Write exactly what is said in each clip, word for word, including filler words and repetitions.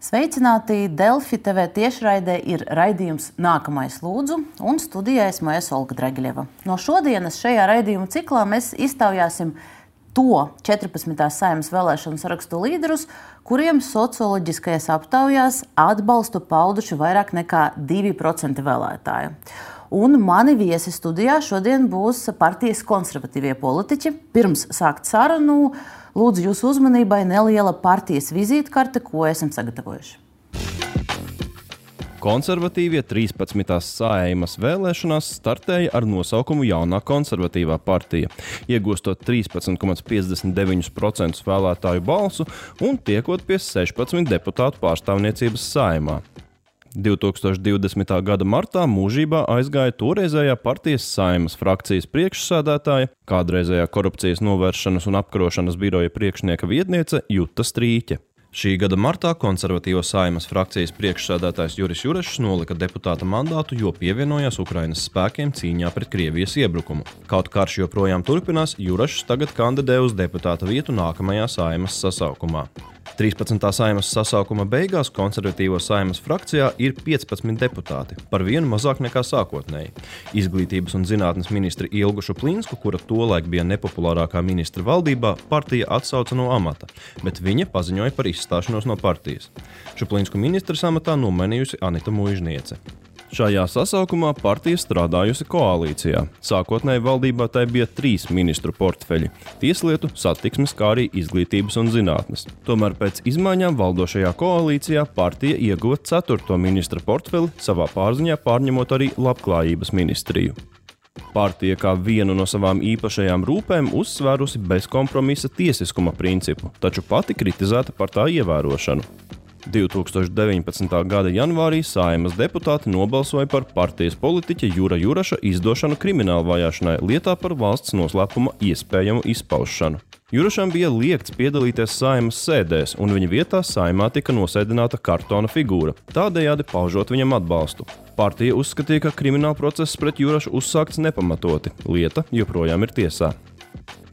Sveicināti! Delfi T V tiešraidē ir raidījums Nākamais lūdzu, un studijā esmu es Olga Dragiļeva. No šodienas šajā raidījuma ciklā mēs iztaujāsim to četrpadsmitās Saeimas vēlēšanu sarakstu līderus, kuriem socioloģiskajās aptaujās atbalstu pauduši vairāk nekā divi procenti vēlētāju. Un mani viesi studijā šodien būs partijas konservatīvie politiķi. Pirms sākt sarunu, lūdzu jūsu uzmanībai neliela partijas vizītkarte, ko esam sagatavojuši. Konservatīvie trīspadsmitās Saeimas vēlēšanās startēja ar nosaukumu Jaunā konservatīvā partija, iegūstot trīspadsmit komats piecdesmit deviņi procenti vēlētāju balsu un tiekot pie sešpadsmit deputātu pārstāvniecības Saeimā. divi tūkstoši divdesmitā gada martā mūžībā aizgāja toreizējā partijas Saeimas frakcijas priekšsēdētāja, kādreizējā korupcijas novēršanas un apkarošanas biroja priekšnieka vietniece Juta Strīķe. Šī gada martā konservatīvo Saeimas frakcijas priekšsēdētājs Juris Jurešs nolika deputāta mandātu, jo pievienojās Ukrainas spēkiem cīņā pret Krievijas iebrukumu. Kaut karš joprojām turpinās, Jurešs tagad kandidē uz deputāta vietu nākamajā Saeimas sasaukumā. trīspadsmitā Saeimas sasaukuma beigās konservatīvo Saeimas frakcijā ir piecpadsmit deputāti, par vienu mazāk nekā sākotnēji. Izglītības un zinātnes ministri Ilgu Šuplīnsku, kura tolaik bija nepopulārākā ministra valdībā, partija atsauca no amata, bet viņa paziņoja par izstāšanos no partijas. Šuplīnsku ministras amatā nomainījusi Anita Muižniece. Šajā sasaukumā partija strādājusi koalīcijā. Sākotnēji valdībā tai bija trīs ministru portfeļi – tieslietu, satiksmes, kā arī izglītības un zinātnes. Tomēr pēc izmaiņām valdošajā koalīcijā partija ieguva ceturto ministra portfeli, savā pārziņā pārņemot arī labklājības ministriju. Partija kā vienu no savām īpašajām rūpēm uzsvērusi bezkompromisa tiesiskuma principu, taču pati kritizēta par tā ievērošanu. divi tūkstoši deviņpadsmitā gada janvārī Saeimas deputāti nobalsoja par partijas politiķa Jura Juraša izdošanu krimināla vajāšanai lietā par valsts noslēpuma iespējamu izpaušanu. Jurašam bija liegts piedalīties Saeimas sēdēs, un viņa vietā Saeimā tika nosēdināta kartona figūra, tādējādi paužot viņam atbalstu. Partija uzskatīja, ka krimināla process pret Jurašu uzsākts nepamatoti, lieta joprojām ir tiesā.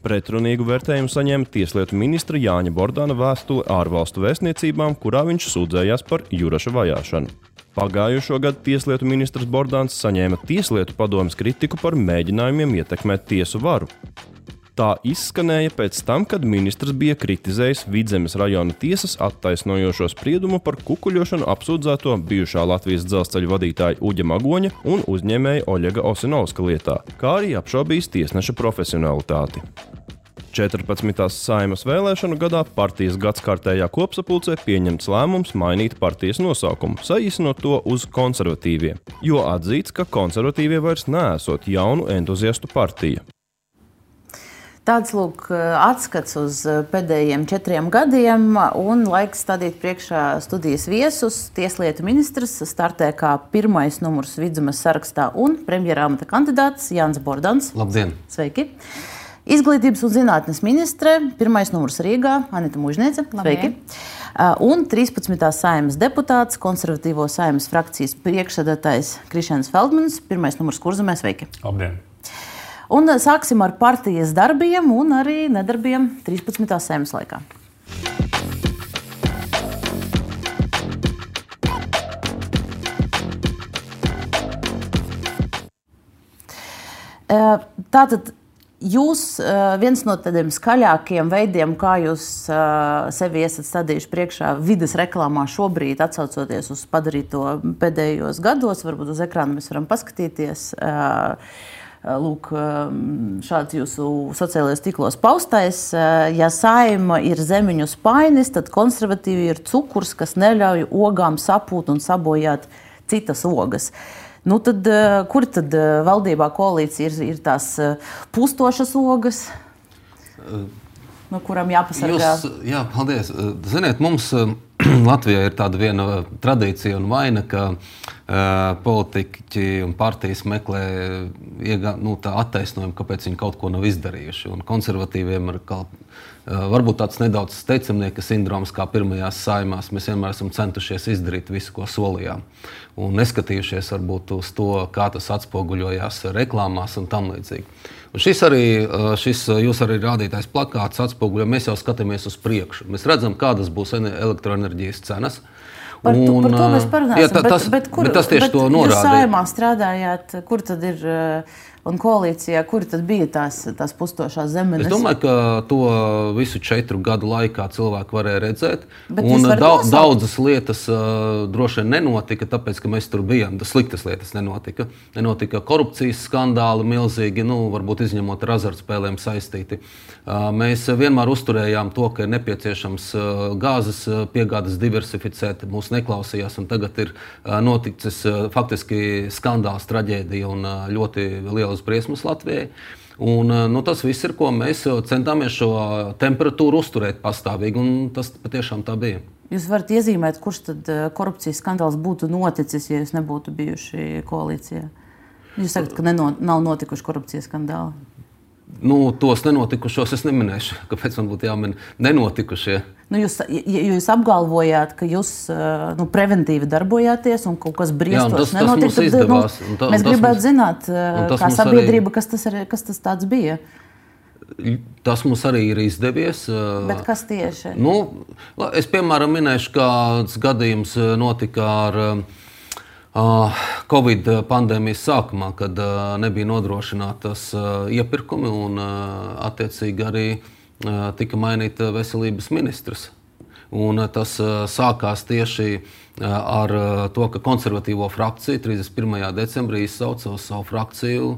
Pretrunīgu vērtējumu saņēma tieslietu ministra Jāņa Bordāna vēstule ārvalstu vēstniecībām, kurā viņš sūdzējās par Juraša vajāšanu. Pagājušo gadu tieslietu ministrs Bordāns saņēma tieslietu padomes kritiku par mēģinājumiem ietekmēt tiesu varu. Tā izskanēja pēc tam, kad ministrs bija kritizējis Vidzemes rajona tiesas attaisnojošo spriedumu par kukuļošanu apsūdzēto bijušā Latvijas dzelzceļa vadītāja Uģa Magoņa un uzņēmēja Oļega Osinovska lietā, kā arī apšaubījis tiesneša profesionalitāti. četrpadsmitās Saeimas vēlēšanu gadā partijas gadskārtējā kopsapulcē pieņemts lēmums mainīt partijas nosaukumu, saīsinot to uz konservatīvie, jo atzīts, ka konservatīvie vairs neesot jaunu entuziastu partija. Tāds lūk atskats uz pēdējiem četriem gadiem un laiks stādīt priekšā studijas viesus. Tieslietu ministrs startē kā pirmais numurs Vidzemes sarakstā un premjera amata kandidāts Jānis Bordāns. Labdien! Sveiki! Izglītības un zinātnes ministre, pirmais numurs Rīgā, Anita Muižniece. Sveiki! Un trīspadsmitā Saeimas deputāts, konservatīvo Saeimas frakcijas priekšsēdētājs Krišjāns Feldmanis, pirmais numurs Kurzemē. Sveiki! Labdien! Un sāksim ar partijas darbiem un arī nedarbiem trīspadsmitās Saeimas laikā. Tātad jūs viens no tādiem skaļākiem veidiem, kā jūs sevi esat stādījuši priekšā vides reklāmā šobrīd, atsaucoties uz padarīto pēdējos gados, varbūt uz ekrāna mēs varam paskatīties. Lūk, šāds jūsu sociālajos tīklos paustais. Ja Saeima ir zemiņu spainis, tad konservatīvi ir cukurs, kas neļauj ogām sapūt un sabojāt citas ogas. Nu tad, kur tad valdībā koalīcija ir, ir tās pustošas ogas, no kurām jāpasargā? Jūs, jā, paldies. Ziniet, mums Latvijā ir tāda viena tradīcija un vaina, ka uh, politiķi un partijas meklē iegā, nu, tā attaisnojumu, kāpēc viņi kaut ko nav izdarījuši. Un konservatīviem ir kā, uh, varbūt tāds nedaudz steicamnieka sindroms, kā pirmajās Saeimās. Mēs vienmēr esam centušies izdarīt visu, ko solījām. Un neskatījušies varbūt uz to, kā tas atspoguļojās reklāmās un tam līdzīgi. Un šis arī, šis jūs arī rādītais plakāts atspoguļo, mēs jau skatāmies uz priekšu. Mēs redzam, kādas būs elektroenerģijas cenas. Par, tu, par to mēs parunāsim. Jā, tā, tas, bet, bet, kur, bet tas tieši bet to norāda. Jūs Saeimā strādājāt, kur tad ir, un koalīcijā, kur tad bija tās, tās pustošās zemenes? Es domāju, ka to visu četru gadu laikā cilvēki varēja redzēt. Bet un daudz, daudzas lietas uh, droši vien nenotika, tāpēc, ka mēs tur bijām. Tas sliktas lietas nenotika. Nenotika korupcijas skandāli milzīgi, nu, varbūt izņemot ar azartspēlēm saistīti. Uh, mēs vienmēr uzturējām to, ka ir nepieciešams uh, gāzes piegādes diversificēt. Mūs neklausījās, un tagad ir uh, noticis uh, faktiski skandāls, traģēdija un uh, ļoti liela briesmas Latvijai. Un, nu, tas viss ir, ko mēs centāmies šo temperatūru uzturēt pastāvīgi, un tas patiešām tā bija. Jūs varat iezīmēt, kurš tad korupcijas skandāls būtu noticis, ja jūs nebūtu bijuši koalīcijā? Jūs sakat, ka neno, nav notikuši korupcijas skandāli. Nu, tos nenotikušos es neminēšu. Kāpēc man būtu jāmin nenotikušie? Nu, jūs, jūs apgalvojāt, ka jūs nu, preventīvi darbojāties un kaut kas briestos nenotika. Tas izdevās. Nu, tā, mēs gribētu mums, zināt, kā sabiedrība, arī, kas, tas ir, kas tas tāds bija. Tas mums arī ir izdevies. Bet kas tieši? Nu, es, piemēram, minēšu, kāds gadījums notika ar Covid pandēmijas sākumā, kad nebija nodrošinātas iepirkumi un attiecīgi arī tika mainīta veselības ministrs. Un tas sākās tieši ar to, ka konservatīvo frakcija trīsdesmit pirmajā decembrī izsauca uz savu frakciju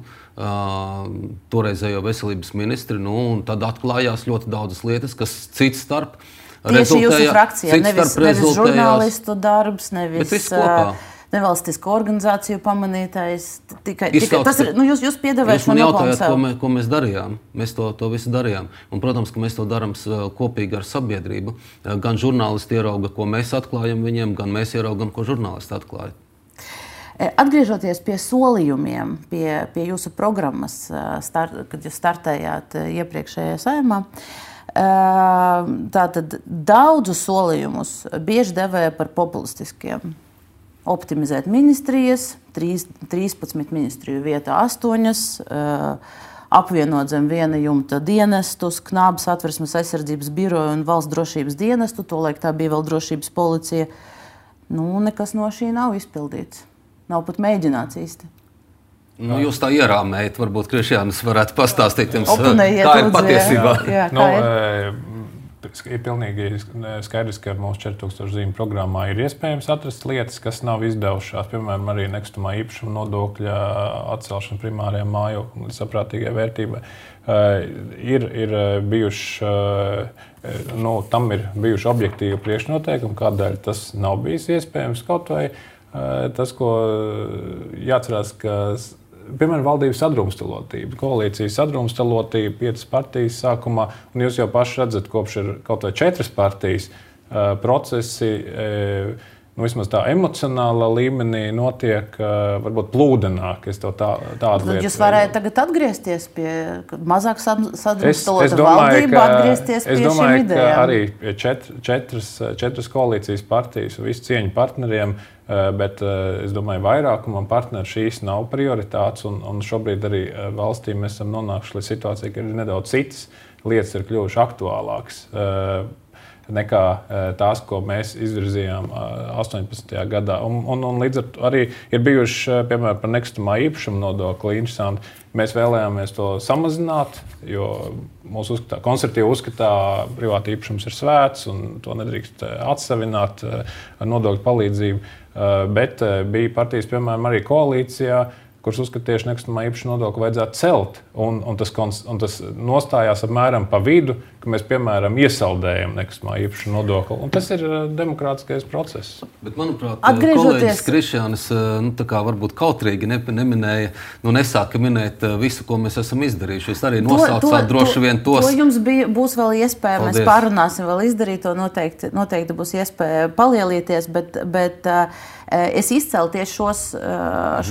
toreizējo veselības ministri. Nu, un tad atklājās ļoti daudzas lietas, kas cits starp tieši jūsu frakcijā, nevis, nevis žurnālistu darbs, nevis nevalstisko organizāciju pamanītais. Tikai, tikai, tas ir, nu, jūs, jūs piedāvājat man jautājāt, ko, mē, ko mēs darījām. Mēs to, to visu darījām. Un, protams, ka mēs to darām kopīgi ar sabiedrību. Gan žurnālisti ierauga, ko mēs atklājam viņiem, gan mēs ieraugam, ko žurnālisti atklāja. Atgriežoties pie solījumiem, pie, pie jūsu programmas, start, kad jūs startējāt iepriekšējā Saeimā, tātad daudzus solījumus bieži devēja par populistiskiem. Optimizēt ministrijas, trīspadsmit ministriju vietā astoņas, apvienot zem viena jumta dienestus, Knābas Satversmes aizsardzības biroju un valsts drošības dienestu, tolaik tā bija vēl drošības policija. Nu, nekas no šī nav izpildīts. Nav pat mēģināts īsti. Nu, jūs tā ierāmējat, varbūt Krišjānis varētu pastāstīt jums, kā ir patiesībā. Jā, jā, kā ir? Nu, ir pilnīgi skaidrs, ka mūsu četri tūkstoši zīmju programmā ir iespējams atrast lietas, kas nav izdevušās. Piemēram, arī nekustamā īpašuma nodokļa atcelšana primārajām mājokļiem līdz saprātīgai vērtībai. Uh, ir, ir bijuši, uh, nu, tam ir bijuši objektīvi priekšnoteikumi, kādēļ tas nav bijis iespējams. Kaut vai uh, tas, ko jāatcerās, ka piemēram, valdības sadrumstalotība, koalīcijas sadrumstalotība, piecas partijas sākumā, un jūs jau paši redzat, kopš ir kaut vai četras partijas uh, procesi, uh, nu, vismaz tā emocionālā līmenī notiek uh, varbūt plūdenāk. Es to tā, tādu lietu. Jūs varētu tagad atgriezties pie mazāk sadrumstalota valdība, atgriezties pie šīm idejām? Es domāju, ka arī čet, četras, četras koalīcijas partijas un visu cieņu partneriem, bet es domāju, vairākumam partneri šīs nav prioritātes, un, un šobrīd arī valstī mēs esam nonākuši līdz situācijai, ka ir nedaudz citas lietas ir kļuvušas aktuālākas nekā tās, ko mēs izvirzījām astoņpadsmitajā gadā. Un, un, un līdz ar to arī ir bijuši, piemēram, par nekustamā īpašuma nodokli interesanti. Mēs vēlējāmies to samazināt, jo mūsu uzskatā, konservatīvi uzskatā, privāta īpašums ir svēts un to nedrīkst atsavināt ar nodokļu palīdzību. Bet bija partijas, piemēram, arī koalīcijā, kuras uzskata tieši nekustamā īpašuma nodokli vajadzētu celt. Un, un, tas, un tas nostājās apmēram pa vidu, ka mēs, piemēram, iesaldējam nekustamā īpašuma nodokli. Un tas ir demokrātiskais process. Bet, manuprāt, kolēģis Krišjānis nu, tā kā varbūt kautrīgi ne, neminēja, nu, nesāka minēt visu, ko mēs esam izdarījuši. Jūs arī nosaucāt droši vien tos. To jums bija, būs vēl iespēja, Paldies. Mēs pārunāsim vēl izdarīt, to noteikti, noteikti būs iespēja palielīties, bet, bet es izcēlu tieši šos,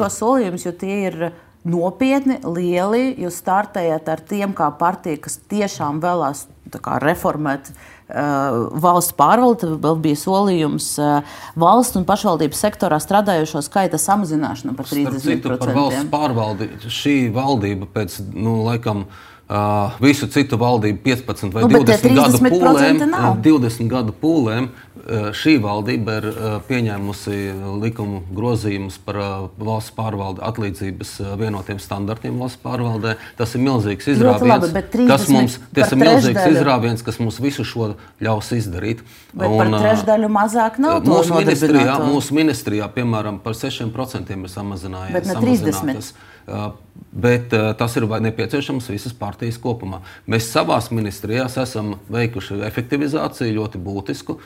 šos solījumus, jo tie ir nopietni, lieli. Jūs startējat ar tiem kā partija, kas tiešām vēlās tā kā reformēt uh, valsts pārvaldi. Vēl bija solījums uh, valsts un pašvaldības sektorā strādājošo skaita samazināšana par trīsdesmit procentiem. Starp citu, par valsts pārvaldi šī valdība pēc, nu, laikam, Uh, visu citu valdību piecpadsmit vai nu, divdesmit gadu pūlēm, nav. divdesmit gadu pūlēm uh, šī valdība ir uh, pieņēmusi likumu grozījumus par uh, valsts pārvalde atlīdzības uh, vienotiem standartiem valsts pārvaldē. Tas ir milzīgs izrāviens, labi, kas mums, tas ir milzīgs izrāviens, kas mums visu šo ļaus izdarīt. Bet un, par trešdaļu mazāk nav uh, mūsu ministrijā, mūsu ministrijā, piemēram, par sešiem procentiem ir samazinājies. Bet ne trīsdesmit. Uh, bet uh, tas ir nepieciešams visas partijas kopumā. Mēs savās ministrijās esam veikuši efektivizāciju ļoti būtisku.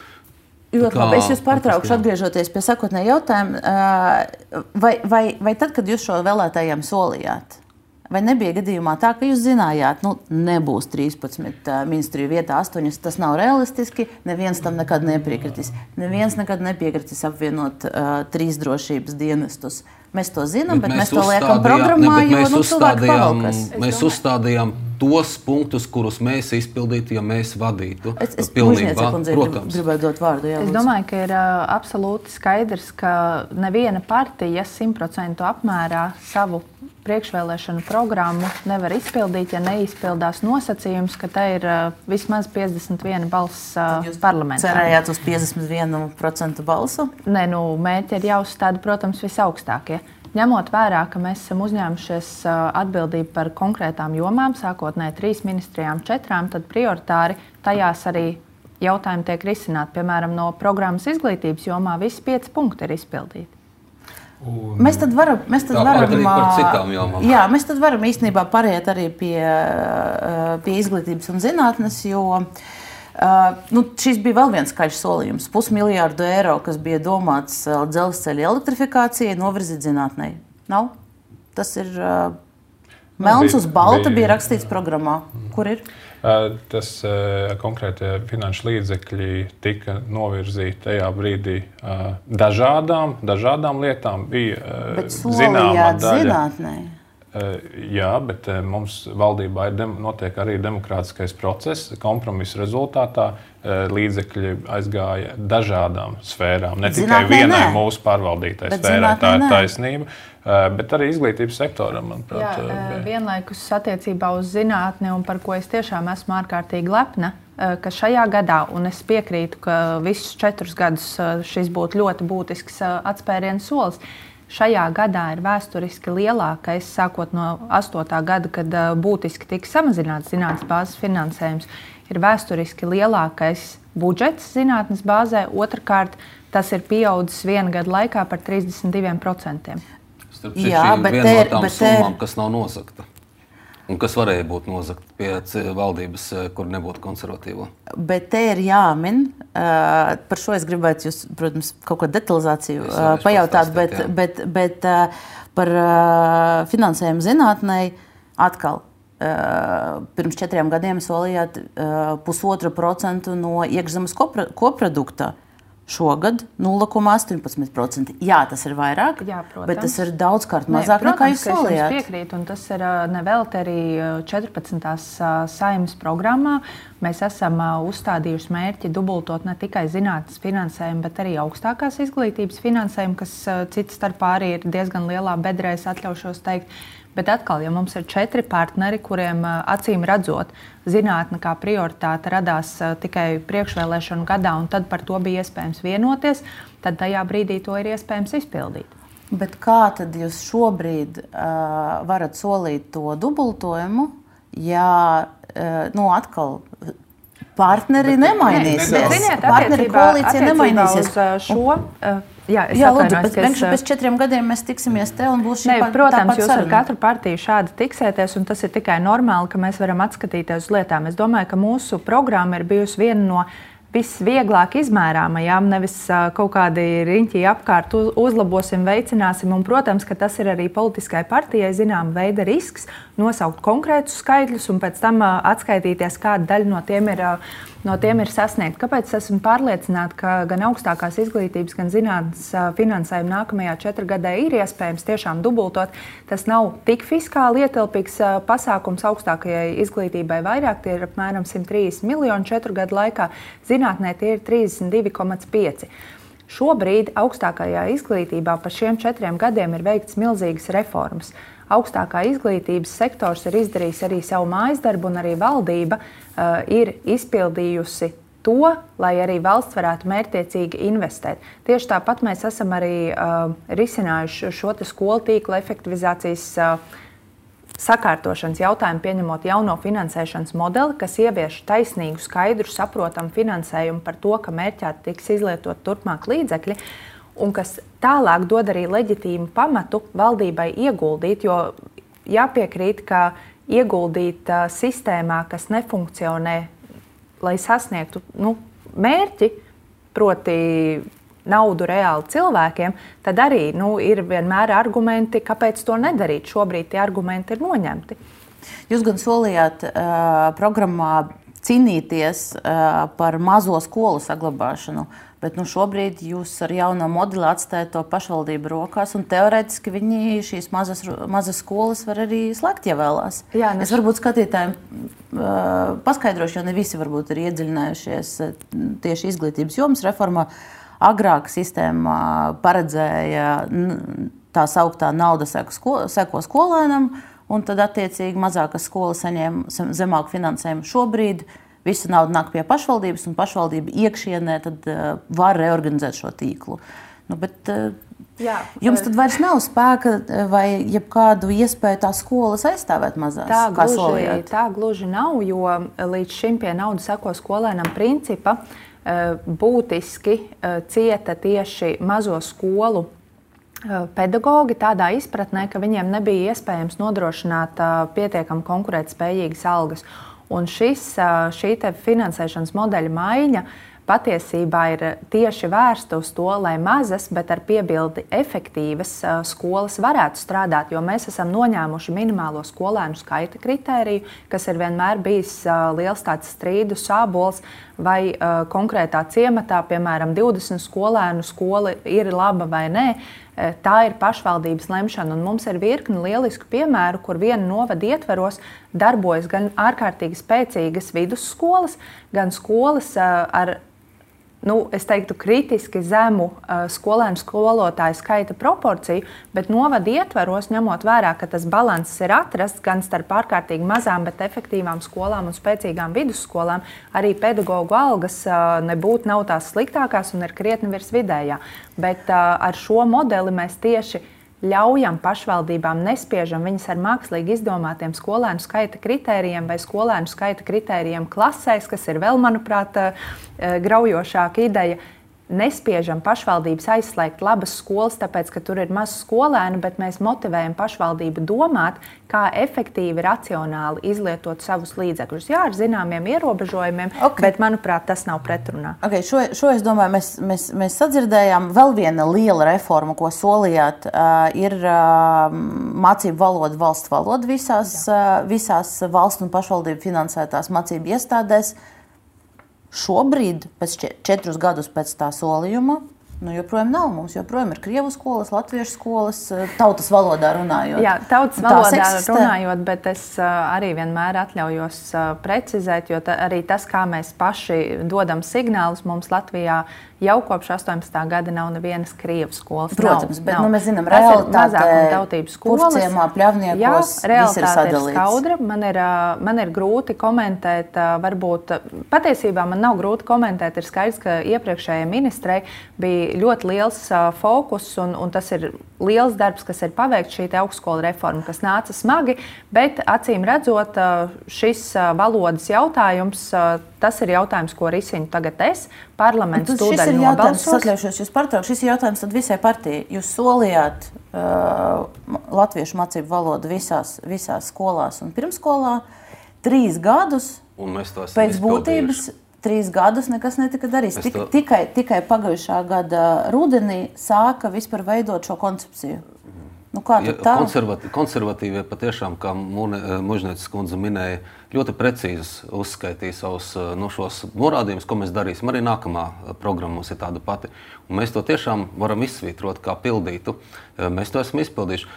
Ļoti labi. Es jūs pārtraukšu, atgriežoties pie sākotnējā jautājuma. Uh, vai, vai, vai tad, kad jūs šo vēlētājiem solījāt, vai nebija gadījumā tā, ka jūs zinājāt, nu, nebūs trīspadsmit uh, ministriju vietā, astoņas, tas nav realistiski, neviens tam nekad nepiekritīs. Neviens nekad nepiekritīs apvienot uh, trīs drošības dienestus. Mēs to zinām, bet, bet mēs, mēs to liekam programmā, ne, jo mēs nu, uzstādījām, mēs uzstādījām tos punktus, kurus mēs izpildītu, ja mēs vadītu. Es, es pilnībā, protams. Gribētu dot vārdu. Jā, es domāju, ka ir uh, absolūti skaidrs, ka neviena partija simt procentu apmērā savu priekšvēlēšanu programmu nevar izpildīt, ja neizpildās nosacījums, ka tā ir uh, vismaz piecdesmit viena balss uh, parlamentā. Cerējāt uz piecdesmit vienu procentu balsu? Nē, nu, mērķi ir jāuzstāda, protams, visaugstākie. Ņemot vērā, ka mēs esam uzņēmušies uh, atbildību par konkrētām jomām, sākotnēji trīs ministrijām, četrām, tad prioritāri tajās arī jautājumi tiek risināti. Piemēram, no programmas izglītības jomā visi pieci punkti ir izpildīti. Un mēs tad varam, mēs tad varam, par citām jomām. Jā, mēs tad varam īstenībā pāriet arī pie, pie izglītības un zinātnes, jo uh, nu, šis bija vēl viens skaļš solījums. Pusmiljārdu eiro, kas bija domāts dzelzceļa elektrifikācijai, novirzīt zinātnei. Nav? Tas ir uh, melns uz balta, bija, bija rakstīts programmā. Kur ir? Tas konkrētie finanšu līdzekļi tika virzīti tajā brīdī dažādām, dažādām lietām. Bija zināma daļa. Zinātnē. Jā, bet mums valdībā ir notiek arī demokrātiskais process. Kompromisa rezultātā līdzekļi aizgāja dažādām sfērām. Ne tikai zinātnē, vienai nē. Mūsu pārvaldītai sfērai, tā ir taisnība. Bet arī izglītības sektoram, manuprāt. Jā, vienlaikus attiecībā uz zinātni, un par ko es tiešām esmu ārkārtīgi lepna, ka šajā gadā, un es piekrītu, ka visus četrus gadus šis būtu ļoti būtisks atspērienu solis, šajā gadā ir vēsturiski lielākais, sākot no astotā gada, kad būtiski tika samazināts zinātnes bāzes finansējums, ir vēsturiski lielākais budžets zinātnes bāzē. Otrakārt, tas ir pieaudzis viena gada laikā par trīsdesmit diviem procentiem. Jā, bet viena ir, no tām bet summām, ir... kas nav nozagta. Un kas varēja būt nozagta pie valdības, kur nebūtu konservatīvo. Bet te ir jāmin, uh, par šo es gribētu jūs, protams, kaut kādu detalizāciju uh, pajautāt, bet, bet, bet uh, par uh, finansējumu zinātnei atkal. Uh, pirms četriem gadiem solījāt uh, pusotru procentu no iekšzemes kopra, koprodukta. Šogad nulle komats astoņpadsmit procenti. Jā, tas ir vairāk, Jā, protams. Bet tas ir daudzkārt mazāk ne, nekā jūs solījāt. Es jums piekrītu, un tas ir nevelti arī četrpadsmitās Saeimas programmā. Mēs esam uzstādījuši mērķi dubultot ne tikai zinātnes finansējumu, bet arī augstākās izglītības finansējumu, kas cits starpā arī ir diezgan lielā bedrē, es atļaušos teikt. Bet atkal, ja mums ir četri partneri, kuriem acīm redzot zinātne kā prioritāte radās tikai priekšvēlēšanu gadā, un tad par to bija iespējams vienoties, tad tajā brīdī to ir iespējams izpildīt. Bet kā tad jūs šobrīd uh, varat solīt to dubultojumu, ja uh, nu, atkal partneri bet, nemainīsies? Ne, ne, ziniet, partneri koalīcija nemainīsies. Šo, uh, Jā, Jā lūdzu, bet es... pēc četriem gadiem mēs tiksimies te un būs šī ne, pat, protams, jūs saruna. ar katru partiju šādi tiksēties, un tas ir tikai normāli, ka mēs varam atskatīties uz lietām. Es domāju, ka mūsu programma ir bijusi viena no visvieglāk izmērāmajām, nevis uh, kaut kādi riņķi apkārt uz, uzlabosim, veicināsim. Un, protams, ka tas ir arī politiskai partijai zinām veida risks nosaukt konkrētus skaitļus un pēc tam uh, atskaitīties, kāda daļa no tiem ir uh, No tiem ir sasniegt. Kāpēc esmu pārliecināta, ka gan augstākās izglītības, gan zinātnes finansējumu nākamajā četrgadē ir iespējams tiešām dubultot? Tas nav tik fiskāli ietilpīgs pasākums augstākajai izglītībai vairāk, tie ir apmēram simt trīsdesmit miljoni četru gadu laikā, zinātnē tie ir trīsdesmit divi komats pieci. Šobrīd augstākajā izglītībā pa šiem četriem gadiem ir veikts milzīgas reformas. augstākā izglītības sektors ir izdarījis arī savu mājas darbu, un arī valdība uh, ir izpildījusi to, lai arī valsts varētu mērķtiecīgi investēt. Tieši tāpat mēs esam arī uh, risinājuši šo te skolu tīkla efektivizācijas uh, sakārtošanas jautājumu, pieņemot jauno finansēšanas modeli, kas ievieš taisnīgu, skaidru, saprotamu finansējumu par to, ka mērķēti tiks izlietot turpmāk līdzekļi, un kas tālāk dod arī leģitīmu pamatu valdībai ieguldīt, jo jāpiekrīt, ka ieguldīt uh, sistēmā, kas nefunkcionē, lai sasniegtu nu, mērķi, proti naudu reāli cilvēkiem, tad arī nu, ir vienmēr argumenti, kāpēc to nedarīt. Šobrīd tie argumenti ir noņemti. Jūs gan solījāt uh, programmā cīnīties uh, par mazo skolu saglabāšanu, bet nu, šobrīd jūs ar jauno modeli atstājat to pašvaldību rokās, un teorētiski viņi šīs mazas, mazas skolas var arī slēgt, ja vēlās. Jā, es varbūt skatītājiem uh, paskaidrošu, jo ne visi varbūt ir iedziļinājušies uh, tieši izglītības jomas reformā. Agrāk sistēma paredzēja tā sauktā nauda seko skolēnam, un tad attiecīgi mazākas skolas saņēma zemāku finansējumu. Šobrīd visa nauda nāk pie pašvaldības, un pašvaldība iekšienē tad var reorganizēt šo tīklu. Nu, bet, Jā, jums tad vairs nav spēka vai jebkādu iespēju tā skolas aizstāvēt mazās? Tā gluži, tā gluži nav, jo līdz šim pie nauda seko skolēnam principa būtiski cieta tieši mazo skolu pedagogi tādā izpratnē, ka viņiem nebija iespējams nodrošināt pietiekami konkurētspējīgas algas. Un šis, šī te finansēšanas modeļa maiņa patiesībā ir tieši vērsta uz to, lai mazas, bet ar piebildi efektīvas skolas varētu strādāt, jo mēs esam noņēmuši minimālo skolēnu skaita kritēriju, kas ir vienmēr bijis liels tāds strīdu sābols, vai konkrētā ciematā, piemēram, divdesmit skolēnu skola ir laba vai nē. Tā ir pašvaldības lemšana, un mums ir virkni lielisku piemēru, kur viena novada ietveros darbojas gan ārkārtīgi spēcīgas vidusskolas, gan skolas ar Nu, es teiktu, kritiski zemu uh, skolēnu skolotāju skaita proporciju, bet novada ietveros, ņemot vērā, ka tas balanss ir atrasts gan starp ārkārtīgi mazām, bet efektīvām skolām un spēcīgām vidusskolām, arī pedagoģu algas uh, nebūtu nav tās sliktākās un ir krietni virs vidējā. Bet uh, ar šo modeli mēs tieši ļaujam pašvaldībām, nespiežam viņas ar mākslīgi izdomātiem skolēnu skaita kritērijiem vai skolēnu skaita kritērijiem klasēs, kas ir vēl, manuprāt, graujošāka ideja. Nespiežam pašvaldības aizslēgt labas skolas, tāpēc, ka tur ir maz skolēnu, bet mēs motivējam pašvaldību domāt, kā efektīvi, racionāli izlietot savus līdzekļus. Jā, ar zināmiem ierobežojumiem, okay. Bet, manuprāt, tas nav pretrunā. Okay, šo, šo es domāju, mēs, mēs, mēs sadzirdējām. Vēl viena liela reforma, ko solījāt, uh, ir uh, mācību valoda, valsts valoda visās, uh, visās valsts un pašvaldību finansētās mācību iestādēs. Šobrīd, pēc četrus gadus pēc tā solījuma, nu, joprojām nav. Mums joprojām ir krievu skolas, latviešu skolas, tautas valodā runājot. Jā, tautas valodā runājot, bet es arī vienmēr atļaujos precizēt, jo ta, arī tas, kā mēs paši dodam signālus, mums Latvijā jau kopš astoņpadsmitā gada nav nevienas krievu skolas. Protams, nav, bet nav. Nu, mēs zinām, realitāte Purvciemā, Pļavniekos, jā, realitāte ir skaudra. Man ir, man ir grūti komentēt, varbūt, patiesībā man nav grūti komentēt, ir skaidrs, ka iepriekšējai ministrei bija ļoti liels uh, fokus, un, un tas ir liels darbs, kas ir paveikts šī augstskola reforma, kas nāca smagi, bet acīm redzot, uh, šis uh, valodas jautājums, uh, tas ir jautājums, ko risinu tagad es, parlaments tūdaļ nobalsos. Šis, šis ir jautājums tad visai partijai. Jūs solījāt uh, latviešu mācību valodu visās, visās skolās un pirmskolā trīs gadus un mēs to esam pēc būtības. Trīs gadus nekas netika darīts. Tik, to... tikai, tikai pagājušā gada rudenī sāka vispār veidot šo koncepciju. Nu, kā ja, tā? Konservati, konservatīvie patiešām, kā Mužnieces kundze minēja, ļoti precīzi uzskaitīja savus no šos norādījumus, ko mēs darīsim. Arī nākamā programma mums ir tāda pati. Un mēs to tiešām varam izsvītrot kā pildītu. Mēs to esam izpildījuši.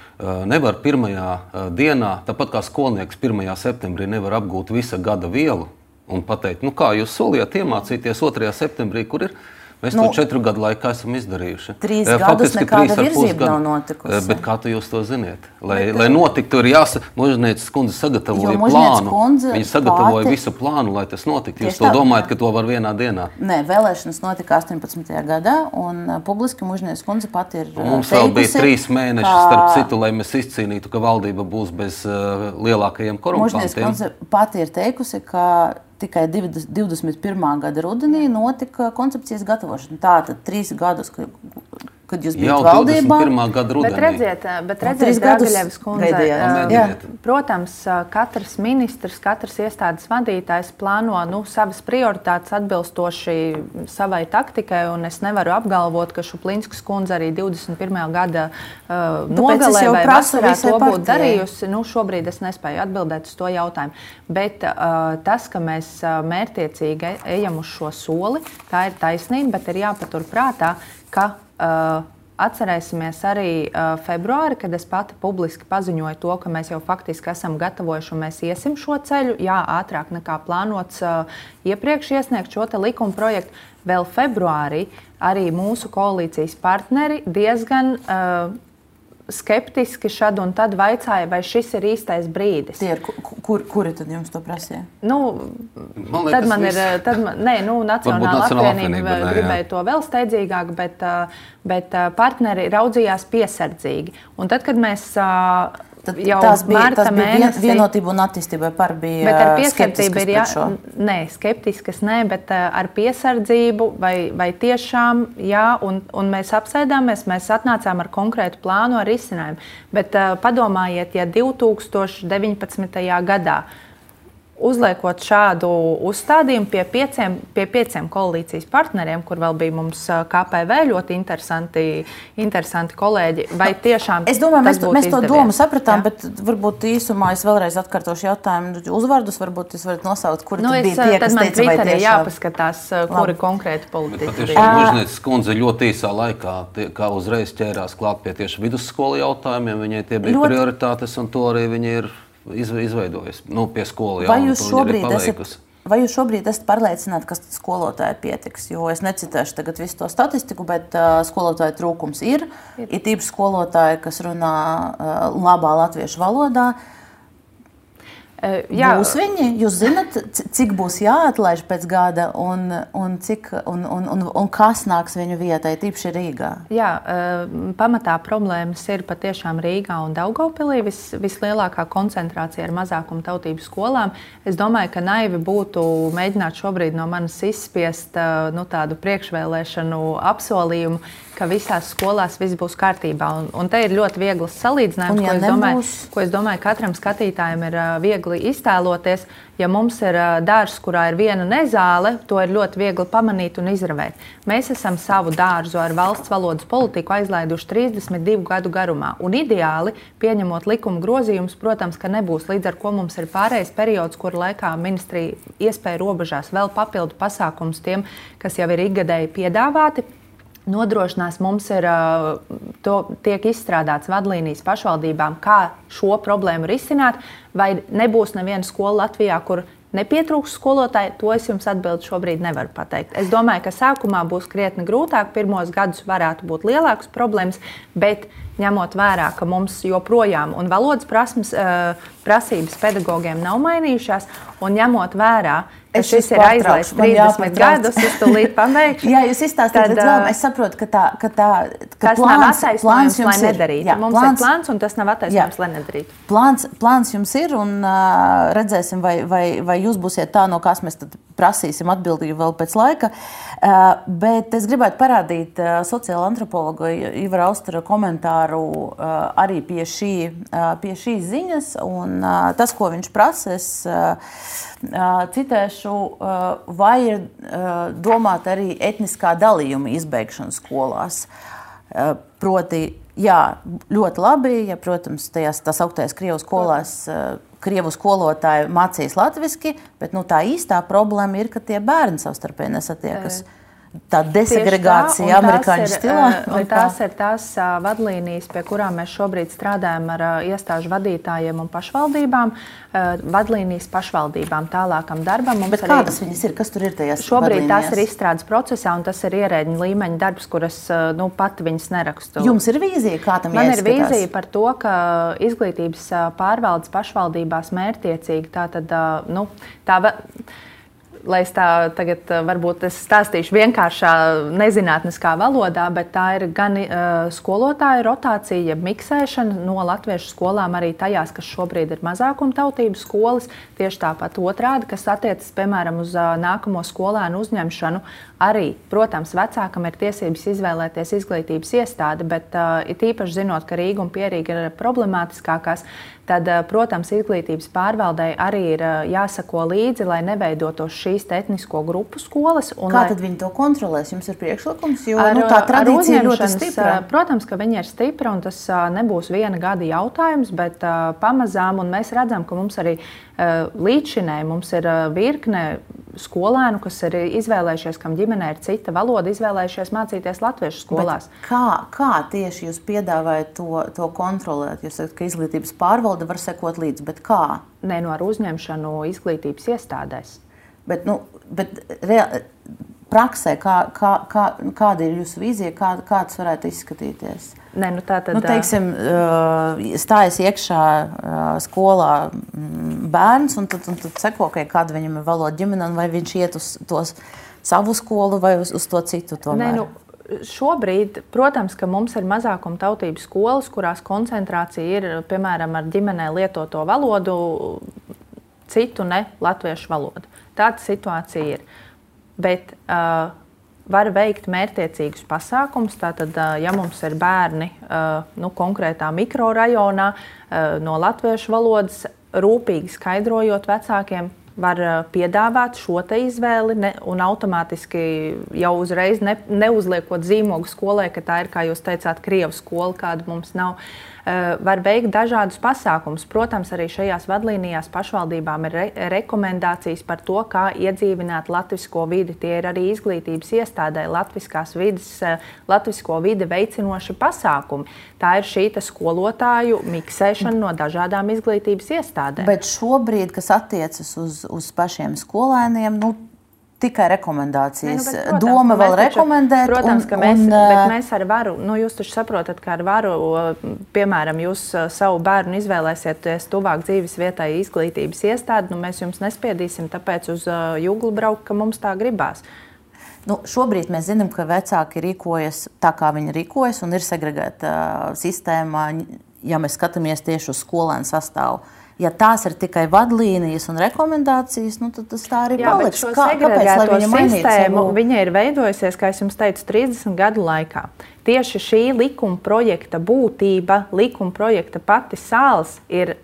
Nevar pirmajā dienā, tāpat kā skolnieks pirmajā septembrī nevar apgūt visa gada vielu, un pateikt, nu kā jūs solījāt iemācīties otrajā septembrī, kur ir Mēs nu, to četru gadu laikā esam izdarījuši. Trīs uh, gadus nekāda virzība nav notikusi. Uh, bet kā tu jūs to ziniet? Lai, bet, lai notiktu, ir jāsa... Mužnieces kundze sagatavoja plānu. Kundze Viņa sagatavoja pati... visu plānu, lai tas notiktu. Jūs to tā... domājat, ka to var vienā dienā? Nē, vēlēšanas notika astoņpadsmitajā gadā, un uh, publiski Mužnieces kundze pati ir uh, mums teikusi, vēl bija trīs mēneši kā... starp citu, lai mēs izcīnītu, ka valdība būs bez uh, lielākajiem korumpantiem. Mužnieces kundze pati ir teikusi, ka tikai divdesmit pirmā gada rudenī notika koncepcijas gatavošana. Tātad trīs gadus, kad jūs bijat valdībā. Jau divdesmit pirmā gada rudenī. Bet redziet, bet redziet Dragaļevas kundze, protams, katrs ministrs, katrs iestādes vadītājs plāno nu, savas prioritātes atbilstoši savai taktikai, un es nevaru apgalvot, ka Šuplinskas kundze arī divdesmit pirmā gada uh, nogalē vai vasarā to būtu darījusi. Nu, šobrīd es nespēju atbildēt uz to jautājumu. Bet uh, tas, ka mēs mērķiecīgi ejam uz šo soli, tā ir taisnība, bet ir jāpatur prātā, ka uh, atcerēsimies arī uh, februāri, kad es pati publiski paziņoju to, ka mēs jau faktiski esam gatavojuši un mēs iesim šo ceļu, jā, ātrāk nekā plānots uh, iepriekš iesniegt šo te likuma projektu. Vēl februārī arī mūsu koalīcijas partneri diezgan uh, skeptiski šad un tad vaicāja, vai šis ir īstais brīdis. Tie ir, kur, kuri tad jums to prasīja? Nu, man liekas, tad man ir, tad man, nē, nu, Nacionāla apvienība gribēja to vēl steidzīgāk, bet, bet partneri raudzījās piesardzīgi. Un tad, kad mēs Tad jau tās bija, marta tas bija mēnesī... Vienotība un attīstībai par bija bet ar piesardzību ir jā... šo. Nē, skeptiskas nē, bet ar piesardzību vai, vai tiešām jā, un, un mēs apsēdāmies, mēs atnācām ar konkrētu plānu, ar risinājumu. Bet uh, padomājiet, ja divtūkstoš deviņpadsmitajā gadā uzliekot šādu uzstādījumu pie pieciem, pie pieciem koalīcijas partneriem, kur vēl bija mums K P V ļoti interesanti, interesanti kolēģi, vai tiešām es domāju, mēs, mēs to izdevies? domu sapratām, Jā? Bet varbūt īsumā es vēlreiz atkārtošu jautājumu uzvārdus, varbūt jūs varat nosaukt, kuri nu, tad es, bija tie, kas teica, vai tiešām. Jāpaskatās, kuri konkrēti politiķi bija. Patiešām Mužnieces kundze ļoti īsā laikā, tie, kā uzreiz ķērās klāt pie tieši vidusskolu jautājumiem, viņai tie bija ļoti... prioritātes, un to arī viņi ir izveidojas nu, pie skolu. Vai jūs, šobrīd esat, vai jūs šobrīd esat pārliecināti, ka skolotāji pietiks? Jo es necitēšu tagad visu to statistiku, bet uh, skolotāju trūkums ir. Ir, ir tīpaši skolotāji, kas runā uh, labā latviešu valodā. Uh, jā. Būs viņi? Jūs zinat, cik būs jāatlaiž pēc gada un, un, cik, un, un, un, un kas nāks viņu vietai, tīpaši Rīgā? Jā, pamatā problēmas ir patiešām Rīgā un Daugavpilī. Vis, vislielākā koncentrācija ar mazākumu tautību skolām. Es domāju, ka naivi būtu mēģināt šobrīd no manis izspiest nu, tādu priekšvēlēšanu apsolījumu, ka visās skolās viss būs kārtībā. Un, un te ir ļoti viegls salīdzinājums, ja ko, es domāju, ko es domāju, katram skatītājam ir viegli iztēloties. Ja mums ir dārzs, kurā ir viena nezāle, to ir ļoti viegli pamanīt un izravēt. Mēs esam savu dārzu ar valsts valodas politiku aizlaiduši trīsdesmit divu gadu garumā. Un ideāli, pieņemot likuma grozījumus, protams, ka nebūs, līdz ar ko mums ir pārējais periods, kur laikā ministrija iespēja robežās vēl papildu pasākums tiem, kas jau ir ikgadēji piedāvāti. Nodrošinās mums ir, to, tiek izstrādāts vadlīnijas pašvaldībām, kā šo problēmu risināt, vai nebūs neviena skola Latvijā, kur nepietrūks skolotāji, to es jums atbildi šobrīd nevaru pateikt. Es domāju, ka sākumā būs krietni grūtāk, pirmos gadus varētu būt lielākas problēmas, bet ņemot vērā, ka mums joprojām un valodas prasmes, prasības pedagogiem nav mainījušās, un ņemot vērā, ka es šis ir aizlaists trīsdesmit gadus, es tūlīt pabeigšu. Jā, jūs izstāstāt, bet vēl es saprotu, ka tā, ka tā ka tas plāns, nav attaisnojums, lai nedarītu. Jā, mums plāns, ir plāns, un tas nav attaisnojums, lai nedarītu. Plāns, plāns jums ir, un uh, redzēsim, vai, vai, vai jūs būsiet tā, no kas mēs tad prasīsim atbildību vēl pēc laika. Uh, bet es gribētu parādīt uh, sociāla antropologa Ivara Austera komentāru uh, arī pie, šī, uh, pie šīs ziņas, un uh, tas, ko viņš prasa, es uh, uh, citēšu, uh, vai ir uh, domāt arī etniskā dalījuma izbeigšana skolās. Uh, proti, jā, ļoti labi, ja, protams, tajās tās augtajās Krievu skolās uh, Krievu skolotāji mācīs latviski, bet nu, tā īstā problēma ir, ka tie bērni savstarpēji nesatiekas. tā desegregācija tā, amerikāņu ir, stilā? Un tās ir tās uh, vadlīnijas, pie kurām mēs šobrīd strādājam ar uh, iestāžu vadītājiem un pašvaldībām. Uh, vadlīnijas pašvaldībām tālākam darbam. Mums Bet kādas arī, viņas ir? Kas tur ir tajās šobrīd vadlīnijās? Tās ir izstrādes procesā, un tas ir ierēģiņa līmeņa darbs, kuras uh, nu, pati viņas nerakstu. Jums ir vīzija, kā tam Man jāizskatās? ir vīzija par to, ka izglītības pārvaldes pašvaldībās mērķtiecīgi tā tad, uh, nu, tā lai es tā tagad varbūt es stāstīšu vienkāršā nezinātniskā valodā, bet tā ir gan uh, skolotāju rotācija, miksēšana no latviešu skolām arī tajās, kas šobrīd ir mazākumtautību skolas, tieši tāpat otrādi, kas attiecas, piemēram, uz uh, nākamo skolēnu uzņemšanu. Arī, protams, vecākam ir tiesības izvēlēties izglītības iestādi, bet uh, it īpaši zinot, ka Rīga un Pierīga ir problemātiskākās, tad, uh, protams, izglītības pārvaldei arī ir uh, jāsako līdzi, lai neveidotos šīs etnisko grupu skolas. Un, Kā lai... tad viņi to kontrolēs? Jums ir priekšlikums, jo ar, nu, tā tradīcija ļoti stipra. Protams, ka viņi ir stipra un tas uh, nebūs viena gada jautājums, bet uh, pamazām, un mēs redzam, ka mums arī uh, līdzšinēji mums ir uh, virkne skolēnu, kas ir izvēlējušies, kam ģimenē ir cita valoda, izvēlējušies mācīties latviešu skolās. Bet kā, kā tieši jūs piedāvājat to, to kontrolēt? Jūs sakat, ka izglītības pārvalde var sekot līdzi, bet kā? Nē, no ar uzņemšanu izglītības iestādēs. Bet, nu, bet reāli, praksē, kā, kā, kā, kāda ir jūsu vīzija, kā, kā tas varētu izskatīties? Nē, nu tā tad, nu, teiksim, stājas iekšā skolā bērns, un tad, un tad seko, kāda viņam ir valoda ģimene, vai viņš iet uz tos savu skolu vai uz, uz to citu tomēr? Nē, nu, šobrīd, protams, ka mums ir mazākumtautību skolas, kurās koncentrācija ir, piemēram, ar ģimenē lietoto valodu, citu ne latviešu valodu. Tāda situācija ir. Bet uh, var veikt mērķtiecīgus pasākumus. Tātad, uh, ja mums ir bērni uh, nu, konkrētā mikrorajonā uh, no latviešu valodas, rūpīgi skaidrojot vecākiem, var uh, piedāvāt šo te izvēli ne, un automātiski jau uzreiz ne, neuzliekot zīmogu skolai, ka tā ir, kā jūs teicāt, krievu skola, kāda mums nav. Uh, var veikt dažādus pasākumus. Protams, arī šajās vadlīnijās pašvaldībām ir re rekomendācijas par to, kā iedzīvināt latvisko vidi. Tie ir arī izglītības iestādē latviskās vides, uh, latvisko vidi veicinoši pasākumi. Tā ir šī skolotāju miksēšana no dažādām izglītības iestādēm. Bet šobrīd, kas attiecas uz, uz pašiem skolēniem, nu, tikai rekomendācijas. Ne, nu, bet, protams, Doma vēl rekomendēt. Protams, un, ka mēs, un, bet mēs ar varu, nu jūs taču saprotat, ka ar varu, piemēram, jūs savu bērnu izvēlēsieties tuvāk dzīves vietai izglītības iestādi, nu mēs jums nespiedīsim tāpēc uz juglu braukt, ka mums tā gribās. Nu, šobrīd mēs zinām, ka vecāki rīkojas tā, kā viņi rīkojas, un ir segregēta uh, sistēma, ja mēs skatāmies tieši uz skolēnu sastāvu. Ja tās ir tikai vadlīnijas un rekomendācijas, nu, tad tas tā arī Jā, paliks. Kā, kāpēc, lai viņa sistēmu, viņa ir veidojusies, kā es jums teicu, trīsdesmit gadu laikā. Tieši šī likuma projekta būtība, likuma projekta pati sāls ir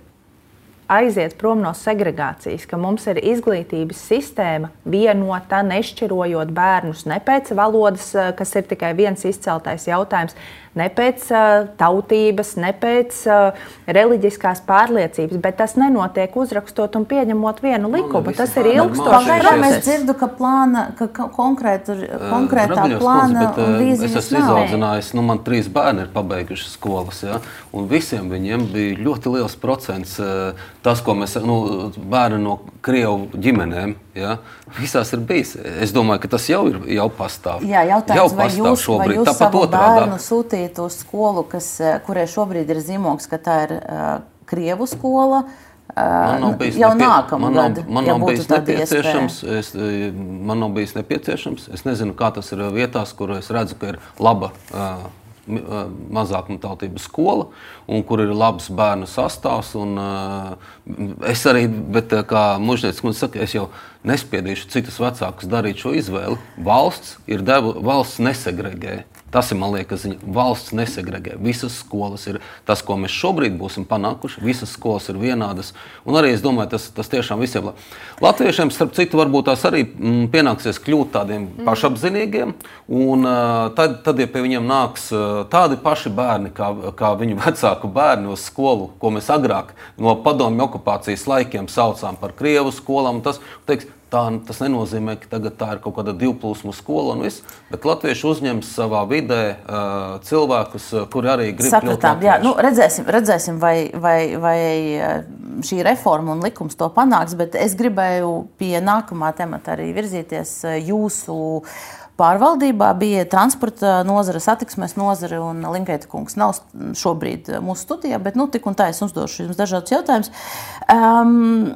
aiziet prom no segregācijas, ka mums ir izglītības sistēma vienota, nešķirojot bērnus ne pēc valodas, kas ir tikai viens izceltais jautājums, ne pēc uh, tautības, ne pēc uh, reliģiskās pārliecības, bet tas nenotiek uzrakstot un pieņemot vienu likumu. Tas ir ilgstošs process. Mēs dzirdu, ka, plāna, ka konkrētu, konkrētā uh, plāna kundze, un vīzijas nav. Es esmu izaudzinājis, nu man trīs bērni ir pabeiguši skolas, ja, un visiem viņiem bija ļoti liels procents uh, tas, ko mēs, nu, bērni no Krievu ģimenēm, ja, visās ir bijis. Es domāju, ka tas jau ir, jau pastāv. Jā, jautājums, jau vai pastāv jūs, šobrīd. vai jūs Tāpat savu otrādā. bērnu sūtīt uz skolu, kas, kurai šobrīd ir zīmogs, ka tā ir uh, Krievu skola, uh, jau nepie... nākamā man gada, nav, man ja nav būtu bijis tāda nepieciešams, iespēja? es, man nav bijis nepieciešams. Es nezinu, kā tas ir vietās, kur es redzu, ka ir laba uh, mazākumtautību skola, un kur ir labs bērnu sastāvs. Un, uh, es arī, bet kā mužniecis kundze saka, es jau nespiedīšu citus vecākus darīt šo izvēli. Valsts ir devu, valsts nesegregē. Tas ir, man liekas, ziņa. Valsts nesegregē. Visas skolas ir tas, ko mēs šobrīd būsim panākuši. Visas skolas ir vienādas. Un arī es domāju, tas, tas tiešām visiem latviešiem, starp citu, varbūt tās arī m, pienāksies kļūt tādiem mm. pašapzinīgiem. Un uh, tad, tad, ja pie viņiem nāks uh, tādi paši bērni, kā, kā viņu vecāku bērni uz skolu, ko mēs agrāk no padomju okupācijas laikiem saucām par Krievu skolām, tas, teiks, tā, tas nenozīmē, ka tagad tā ir kaut kāda divplūsmu skola un viss, bet latvieši uzņems savā vidē uh, cilvēkus, kuri arī grib Sapratām, kļūt jā, latvieši. nu, redzēsim, redzēsim vai, vai, vai šī reforma un likums to panāks, bet es gribēju pie nākamā temata arī virzīties jūsu pārvaldībā. Bija transporta nozare, satiksmes nozare, un Linkeita kungs nav šobrīd mūsu studijā, bet nu, tik un tā es uzdošu jums dažādus jautājumus. Um,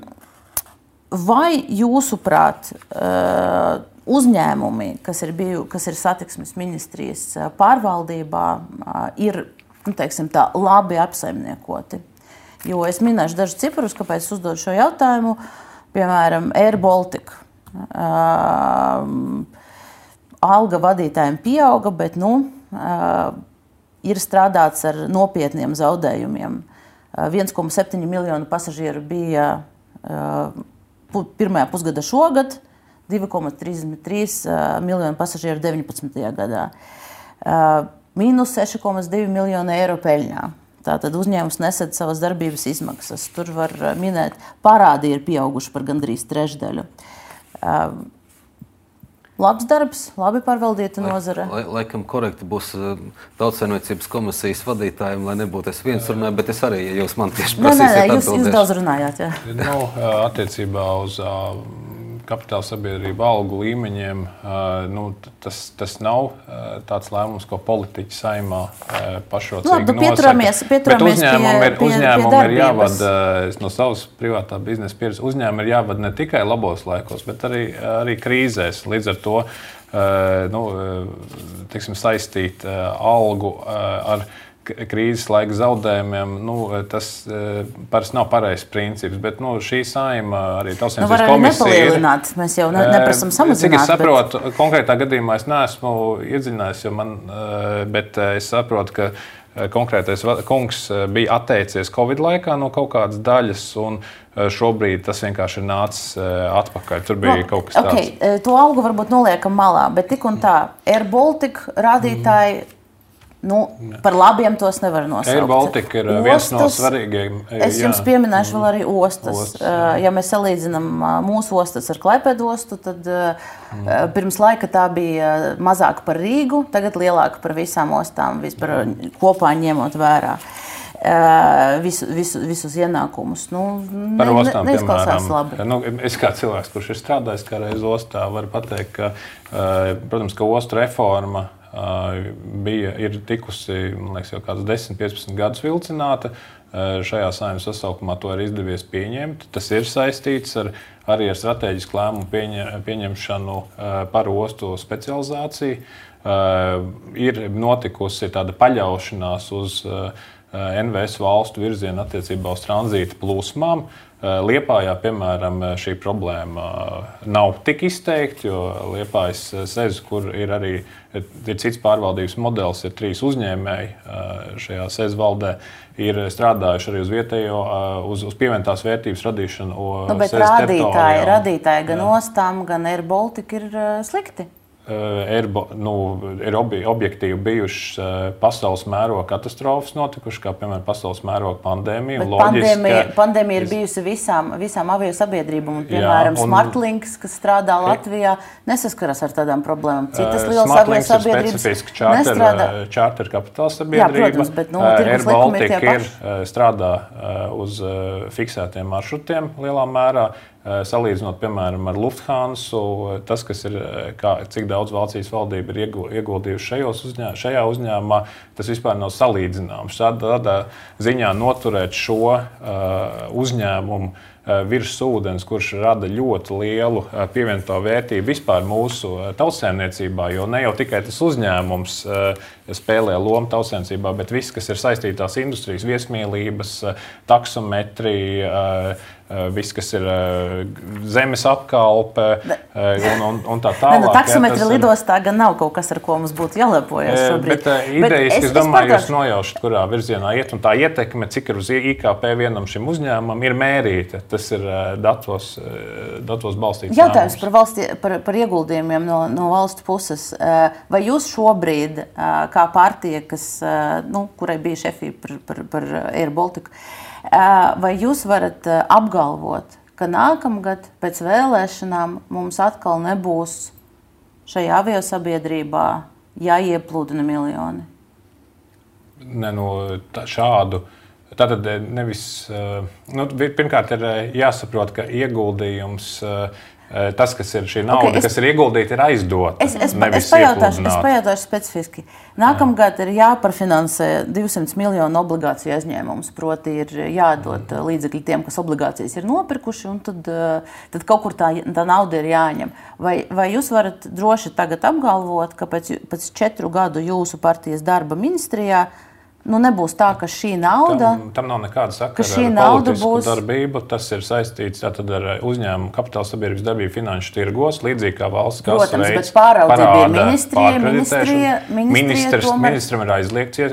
vai jūsuprāt uh, uzņēmumi, kas ir, biju, kas ir satiksmes ministrijas pārvaldībā, uh, ir nu, teiksim, tā, labi apsaimniekoti? Jo es minēšu dažus ciparus, kāpēc es uzdodu šo jautājumu. Piemēram, Air Baltica. Uh, Alga vadītājiem pieauga, bet nu, uh, ir strādāts ar nopietniem zaudējumiem. Uh, viens komats septiņi miljonu pasažieru bija uh, pu, pirmajā pusgada šogad, divi komats trīsdesmit trīs uh, miljonu pasažieru deviņpadsmitajā gadā. Uh, mīnus seši komats divi miljoni eiro peļņā. Tātad uzņēmums nesad savas darbības izmaksas. Tur var minēt, parādi ir pieauguši par gandrīz trešdaļu. Uh, Labs darbs, labi pārvaldīta nozare. Lai, lai, laikam korekti būs uh, Tautsaimniecības komisijas vadītājiem, lai nebūtu es viens runāju, bet es arī, ja jūs man tieši prasīsiet atbildēšu. Jūs, jūs daudz runājāt, jā. Nu, attiecībā uz uh, kapitāla sabiedrību algu līmeņiem, uh, nu, tas, tas nav uh, tāds lēmums, ko politiķi Saeimā uh, pašrocīgi nosaka. Pieturamies, pieturamies bet uzņēmumam ir, pie, uzņēmum pie ir jāvada, no savas privātā biznesa pieredzes, uzņēmumi ir jāvada ne tikai labos laikos, bet arī, arī krīzēs. Līdz ar to uh, nu, tiksim, saistīt uh, algu uh, ar krīzes laika zaudējumiem, nu, tas uh, parasti nav pareizs princips, bet nu, šī Saeima arī Tautsaimniecības nu, komisija ir... Mēs jau ne, neprasam samazināt. Cik es saprotu, bet... konkrētā gadījumā es neesmu iedziļinājies, jo man, bet es saprotu, ka konkrētais kungs bija atteicies Covid laikā no kaut kādas daļas, un šobrīd tas vienkārši ir nācis atpakaļ. Tur bija no, kaut kas tāds. Okay. To algu varbūt noliekam malā, bet tik un tā, Air Baltica rādītāji, mm. Nu, par labiem tos nevar nosaukt. Air Baltica ir ostas, viens no svarīgākajiem. Es jums jā. pieminēšu vēl arī ostas. ostas ja mēs salīdzinām mūsu ostas ar Klaipēdu ostu, tad mm. pirms laika tā bija mazāka par Rīgu, tagad lielāka par visām ostām, vispār kopā ņemot vērā visu, visu, visus ienākumus. Nu, par ostām, ne, piemēram, labi. Nu, es kā cilvēks, kurš ir strādājis kā reiz ostā, varu pateikt, ka, protams, ka ostu reforma bija, ir tikusi, man liekas, jau kāds desmit, piecpadsmit gadus vilcināta. Šajā Saeimas sasaukumā to ir izdevies pieņemt. Tas ir saistīts ar, arī ar strateģisku lēmumu pieņem, pieņemšanu par ostu specializāciju. Ir notikusi tāda paļaušanās uz N V S valstu virzienu attiecībā uz tranzīta plūsmām. Liepājā, piemēram, šī problēma nav tik izteikta, jo Liepājas sez, kur ir arī ir cits pārvaldības modelis, ir trīs uzņēmēji šajā sez valdē, ir strādājuši arī uz vietējo, uz, uz pievienotās vērtības radīšanu. Nu, bet rādītāji, rādītāji gan jā. Ostām, gan Air Baltica ir slikti. Ir, nu, ir objektīvi bijušas pasaules mēroga katastrofas notikušas, kā piemēram pasaules mēroga pandēmija. Pandēmija, pandēmija ir bijusi visām, visām avio sabiedrībām. Piemēram, jā, un... Smartlinks, kas strādā Latvijā, nesaskaras ar tādām problēmām. Citas lielas avio sabiedrības nestrādā. Čārter kapitāla sabiedrība. Jā, protams, bet nu, Air Baltica ir strādā uz fiksētiem maršrutiem lielā mērā. Salīdzinot, piemēram, ar Lufthansa, tas, kas ir, kā, cik daudz Vācijas valdība ir ieguldījuši šajos uzņē, šajā uzņēmumā, tas vispār nav salīdzināms. Tādā ziņā noturēt šo uh, uzņēmumu uh, virs ūdens, kurš rada ļoti lielu uh, pievienoto vērtību vispār mūsu uh, tautsaimniecībā, jo ne jau tikai tas uzņēmums uh, spēlē lomu tautsaimniecībā, bet viss, kas ir saistītās industrijas, viesmīlības, uh, taksometrija, uh, viss, kas ir zemes apkalpe un, un, un tā tālāk. Ne, nu, taksometri lidostā gan nav kaut kas, ar ko mums būtu jālepojas šobrīd. Bet idejiski, es, es domāju, jūs nojaušat, kurā virzienā iet, un tā ietekme, cik ir uz I K P vienam šim uzņēmumam, ir mērīta. Tas ir datos, datos balstīts. Jautājums par, valsti, par, par ieguldījumiem no, no valstu puses. Vai jūs šobrīd, kā partija, kas, nu, kurai bija šefī par, par, par Air Baltica, vai jūs varat apgalvot, ka nākamgad pēc vēlēšanām mums atkal nebūs šajā aviosabiedrībā jāieplūdina miljoni? Ne, nu, tā, šādu. Tātad nevis, nu, pirmkārt ir jāsaprot, ka ieguldījums, tas, kas ir šī nauda, okay, es, kas ir ieguldīta, ir aizdota. Es, es, es, pajautāšu, es pajautāšu specifiski. Nākamgad ir jāparfinansē divsimt miljonu obligāciju aizņēmumus, proti ir jādod līdzekļi tiem, kas obligācijas ir nopirkuši, un tad, tad kaut kur tā, tā nauda ir jāņem. Vai, vai jūs varat droši tagad apgalvot, ka pēc, pēc četru gadu jūsu partijas darba ministrijā nu, nebūs tā, ka šī nauda... Tam, tam nav nekāda sakara ar politisku būs... darbību. Tas ir saistīts tātad ar uzņēmumu kapitāla sabiedrības darbību finanšu tirgos, līdzīgi kā valsts kases veids. Protams, bet pāraudzība ir ministrija, ministrija, ministrija tomēr... Ministram ir aizliegts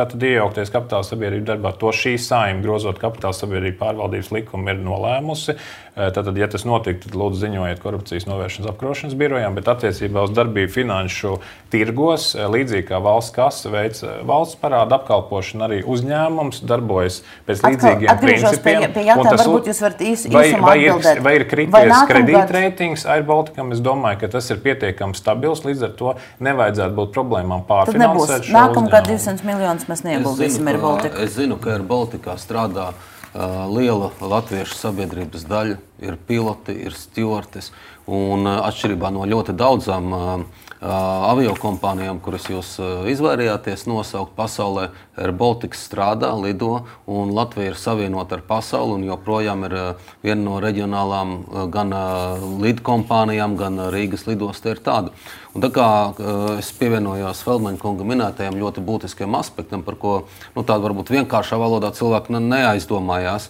tātad iejaukties kapitāla sabiedrību darbā. To šī saima, grozot kapitāla sabiedrību pārvaldības likumu, ir nolēmusi. Tātad, ja tas notiek, tad lūdzu ziņojiet korupcijas novēršanas apkarošanas birojām, bet attiecībā uz darbību finanšu tirgos, līdzīgi kā valsts kase veids valsts parāda apkalpošana, arī uzņēmums darbojas pēc līdzīgiem Atkal, principiem. Pie, pie jautājuma, tas, varbūt jūs varat īs, vai, īsumā vai atbildēt. Ir, vai ir krities kredītreitings Air Balticam? Es domāju, ka tas ir pietiekami stabils, līdz ar to nevajadzētu būt problēmām pārfinansēt šo nākamgad divsimt miljonus mēs neieguldīsim Air Baltica. Es zinu, ka Air Balticā strādā Uh, liela latviešu sabiedrības daļa, ir piloti, ir stjortes, un uh, atšķirībā no ļoti daudzām uh, uh, aviokompānijām, kuras jūs uh, izvairījāties nosaukt pasaulē, Air Baltica strādā, lido, un Latvija ir savienota ar pasauli, un joprojām ir uh, viena no reģionālām uh, gan uh, lidkompānijām, gan uh, Rīgas lidosta ir tāda. Un tā kā uh, es pievienojos Feldmaņa kunga minētajam ļoti būtiskiem aspektam, par ko nu, tādu varbūt vienkāršā valodā cilvēki neaizdomājās,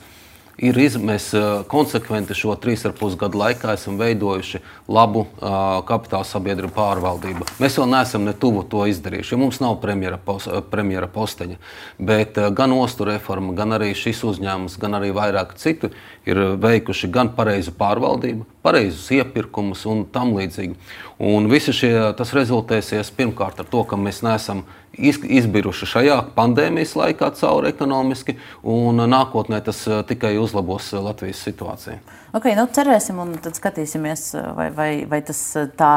ir iz, mēs uh, konsekventi šo trīs ar pus gadu laikā esam veidojuši labu uh, kapitāla sabiedrību pārvaldību. Mēs vēl neesam ne tuvu to izdarījuši, jo mums nav premjera, pos, premjera posteņa, bet uh, gan ostu reforma, gan arī šis uzņēmums, gan arī vairāk citu ir veikuši gan pareizu pārvaldību, pareizus iepirkumus un tam līdzīgi. Un visi šie, tas rezultēsies pirmkārt ar to, ka mēs neesam izbiruši šajā pandēmijas laikā cauri ekonomiski, un nākotnē tas tikai uzlabos Latvijas situāciju. Okay, nu cerēsim un tad skatīsimies, vai, vai, vai tas tā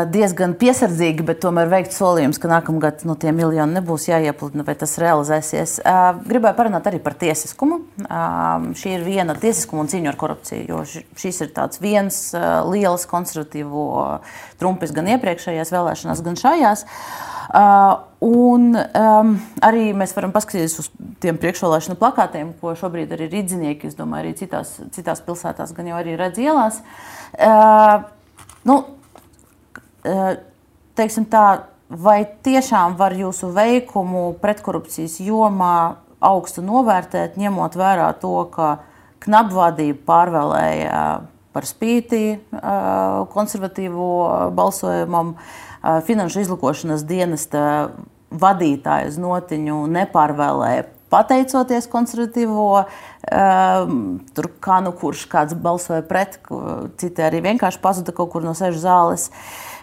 diezgan piesardzīgi, bet tomēr veikt solījums, ka nākamgad nu, tie miljoni nebūs jāiepludina, vai tas realizēsies. Gribēju parunāt arī par tiesiskumu. Šī ir viena tiesiskuma un cīņa ar korupciju, jo šis ir tāds viens liels konservatīvo trumpis gan iepriekšējās vēlēšanās, gan šajās. Uh, un um, arī mēs varam paskatīties uz tiem priekšvēlēšanu plakātiem, ko šobrīd arī rīdzinieki, es domāju, arī citās, citās pilsētās gan jau arī redz ielās. Uh, nu, uh, teiksim tā, vai tiešām var jūsu veikumu pretkorupcijas jomā augstu novērtēt, ņemot vērā to, ka knabvadība pārvēlēja par spīti uh, konservatīvo balsojumam, Finanšu izlūkošanas dienesta vadītāju uz notiņu nepārvēlēja pateicoties konservatīvo, tur kā nu kurš kāds balsoja pret, citi arī vienkārši pazuda kaut kur no sežu zāles.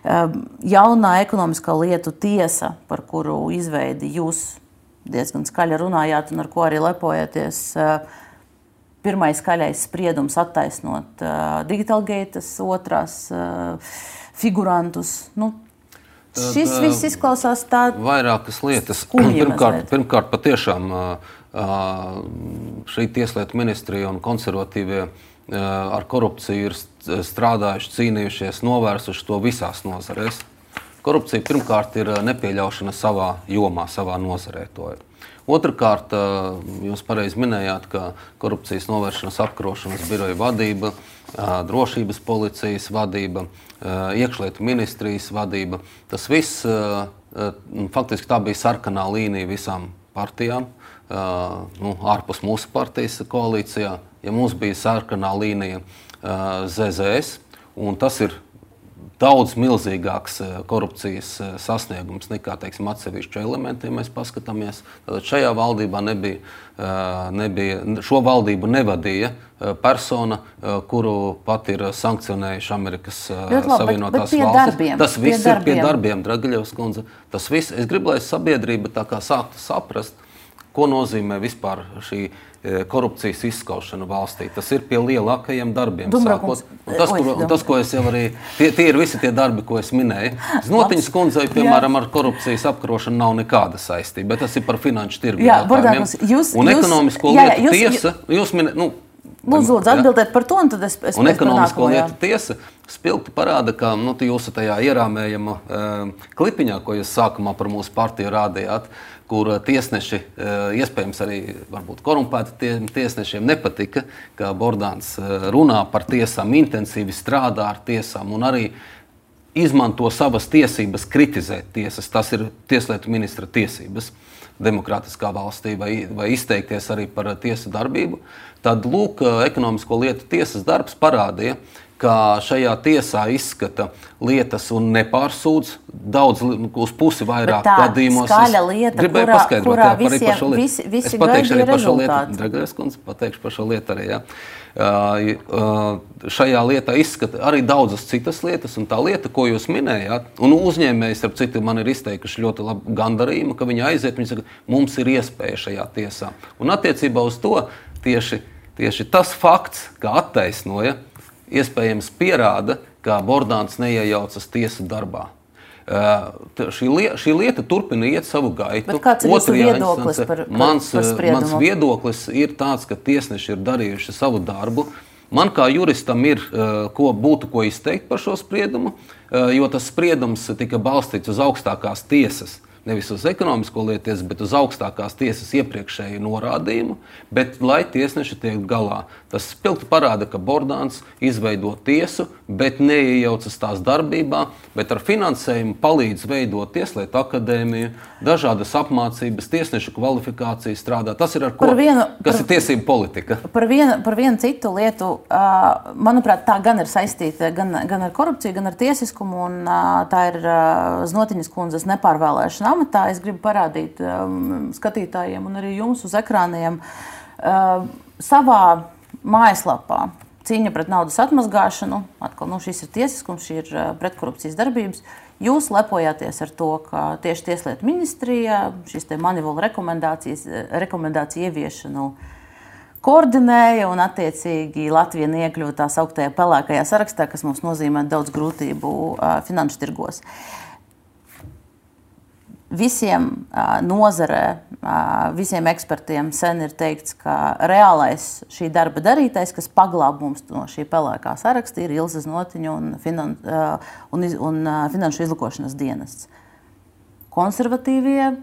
Jaunā ekonomiskā lietu tiesa, par kuru izveidi jūs diezgan skaļi runājāt un ar ko arī lepojaties, pirmais skaļais spriedums attaisnot Digitalgates, otrās figurantus, nu, Tad, šis viss izklausās tā vairākas lietas. Skumji pirmkārt, pirmkārt, patiešām šī tieslietu ministrija un konservatīvie ar korupciju ir strādājuši, cīnījušies, novērsuši to visās nozarēs. Korupcija pirmkārt ir nepieļaušana savā jomā, savā nozarē. To ir. Otrakārt, jūs pareizi minējāt, ka korupcijas novēršanas apkarošanas biroja vadība, drošības policijas vadība, iekšlietu ministrijas vadība, tas viss, faktiski tā bija sarkanā līnija visām partijām, nu, ārpus mūsu partijas koalīcijā, ja mums bija sarkanā līnija Z Z S, un tas ir daudz milzīgāks korupcijas sasniegums nekā, teiksim, atsevišķu elementi, ja mēs paskatāmies. Tad šajā valdībā nebija, nebija, šo valdību nevadīja persona, kuru pat ir sankcionējuši Amerikas Savienotās valstis. Darbiem, Tas viss pie ir pie darbiem, Dragaļevs kundze. Tas viss, es gribu, lai sabiedrība tā kā sāktu saprast, ko nozīmē vispār šī korupcijas izskaušana valstī. Tas ir pie lielākajiem darbiem. Dumbraukungs, un tas, kur, un tas, ko es jau arī, tie, tie ir visi tie darbi, ko es minēju. Znotiņas kundzei, piemēram, ar korupcijas apkarošanu nav nekāda saistība, bet tas ir par finanšu tirgu jautājumiem. Jūs, un jūs, ekonomisko jā, lietu jūs, tiesa, jūs minējat, nu, lūdzu, lūdzu, atbildēt par to, un tad es, es un ekonomisko lietu tiesa spilgti parāda, ka nu, jūsu tajā ierāmējama uh, klipiņā, ko jūs sākumā par mūsu partiju rādījāt, kur tiesneši, iespējams arī varbūt korumpēti tie, tiesnešiem nepatika, ka Bordāns runā par tiesām, intensīvi strādā ar tiesām un arī izmanto savas tiesības kritizēt tiesas. Tas ir tieslietu ministra tiesības demokrātiskā valstī vai, vai izteikties arī par tiesu darbību. Tad, lūk, ekonomisko lietu tiesas darbs parādīja, ka šajā tiesā izskata lietas un nepārsūdz daudz uz pusi vairāk gadījumos. Tā skaļa lieta, gribēju kurā, paskaidrot, kurā jā, visiem, par šo lietu. visi, visi es pateikšu arī par šo rezultāti. lietu. Dragais kundze, pateikšu par šo lietu arī, jā. Uh, uh, šajā lietā izskata arī daudzas citas lietas, un tā lieta, ko jūs minējāt, un uzņēmējs, ar citu, man ir izteikuši ļoti labu gandarījumu, ka viņi aiziet, viņi saka, mums ir iespēja šajā tiesā. Un attiecībā uz to tieši, tieši tas fakts, ka attaisnoja, iespējams pierāda, ka Bordāns neiejaucas tiesu darbā. Uh, šī, lieta, šī lieta turpina iet savu gaitu. Bet kāds ir jūsu viedoklis par, par, mans, par spriedumu? Mans viedoklis ir tāds, ka tiesneši ir darījuši savu darbu. Man kā juristam ir uh, ko, būtu ko izteikt par šo spriedumu, uh, jo tas spriedums tika balstīts uz augstākās tiesas. Nevis uz ekonomisko lietu tiesu, bet uz augstākās tiesas iepriekšēju norādījumu, bet lai tiesneši tiek galā. Tas spilgti parāda, ka Bordāns izveido tiesu, bet neiejaucas tās darbībā, bet ar finansējumu palīdz veidot tieslietu akadēmiju, dažādas apmācības, tiesnešu kvalifikāciju strādā. Tas ir ar ko, vienu, kas par, ir tiesība politika. Par vienu, par vienu citu lietu, manuprāt, tā gan ir saistīta gan, gan ar korupciju, gan ar tiesiskumu, un tā ir Znotiņas kundzes nepārvēlēšana amatā. Es gribu parādīt um, skatītājiem un arī jums uz ekrāniem uh, savā mājaslapā cīņa pret naudas atmazgāšanu. Atkal, nu, šis ir tiesiskums, šī ir uh, pretkorupcijas darbības. Jūs lepojāties ar to, ka tieši Tieslietu ministrija šīs te Manivola rekomendācijas, rekomendāciju ieviešanu koordinēja un attiecīgi Latvija neiekļuva tā sauktajā pelēkajā sarakstā, kas mums nozīmē daudz grūtību uh, finanšu tirgos. Visiem uh, nozarē, uh, visiem ekspertiem sen ir teikts, ka reālais šī darba darītais, kas paglāb mums no šī pelēkā saraksta, ir Ilze Znotiņa un, finan, uh, un, un uh, Finanšu izlūkošanas dienests. Konservatīvie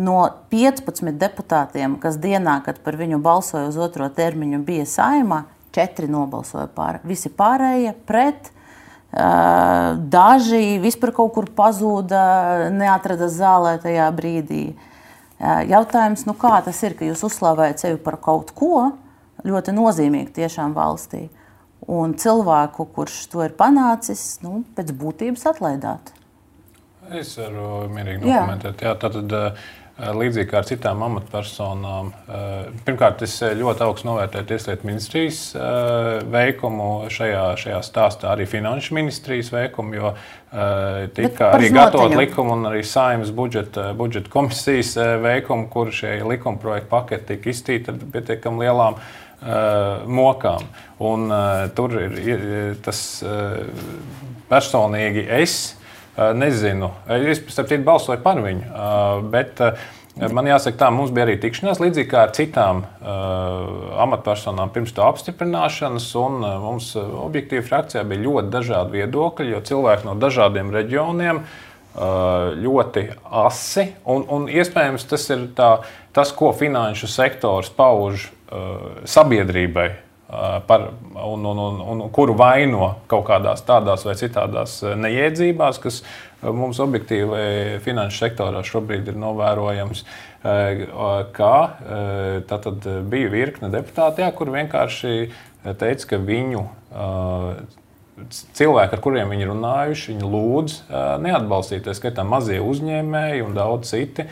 no piecpadsmit deputātiem, kas dienā, kad par viņu balsoja uz otro termiņu, bija Saeimā, četri nobalsoja pār. Visi pārējie pret. Uh, daži vispār kaut kur pazūda, neatrada zālē tajā brīdī. Uh, jautājums, nu kā tas ir, ka jūs uzslavējat sevi par kaut ko ļoti nozīmīgu tiešām valstī, un cilvēku, kurš to ir panācis, nu, pēc būtības atlaidāt? Es varu mierīgi dokumentēt. Jā, tātad, līdzīgi kā ar citām amatpersonām. Pirmkārt, es ļoti augstu novērtēju Tieslietu ministrijas veikumu šajā, šajā stāstā, arī Finanšu ministrijas veikumu, jo tika arī gatavot likumu un arī Saeimas budžeta, budžeta komisijas veikumu, kur šie likuma projekta paketi tika iztīti ar pietiekam lielām mokām. Un tur ir tas personīgi es nezinu. Es, starp citu, balsoju par viņu, bet man jāsaka tā, mums bija arī tikšanās, līdzīgi kā ar citām amatpersonām pirms to apstiprināšanas, un mums objektīvi frakcijā bija ļoti dažādi viedokļi, jo cilvēki no dažādiem reģioniem ļoti asi, un, un iespējams tas ir tā, tas, ko finanšu sektors pauž sabiedrībai, Par, un, un, un, un kuru vaino kaut kādās tādās vai citādās neiedzībās, kas mums objektīvi finanšu sektorā šobrīd ir novērojams. Kā tātad bija virkne deputāti, jā, kur vienkārši teica, ka viņu cilvēki, ar kuriem viņi runājuši, viņi lūdz neatbalstīt, tā skaitā mazie uzņēmēji un daudz citi,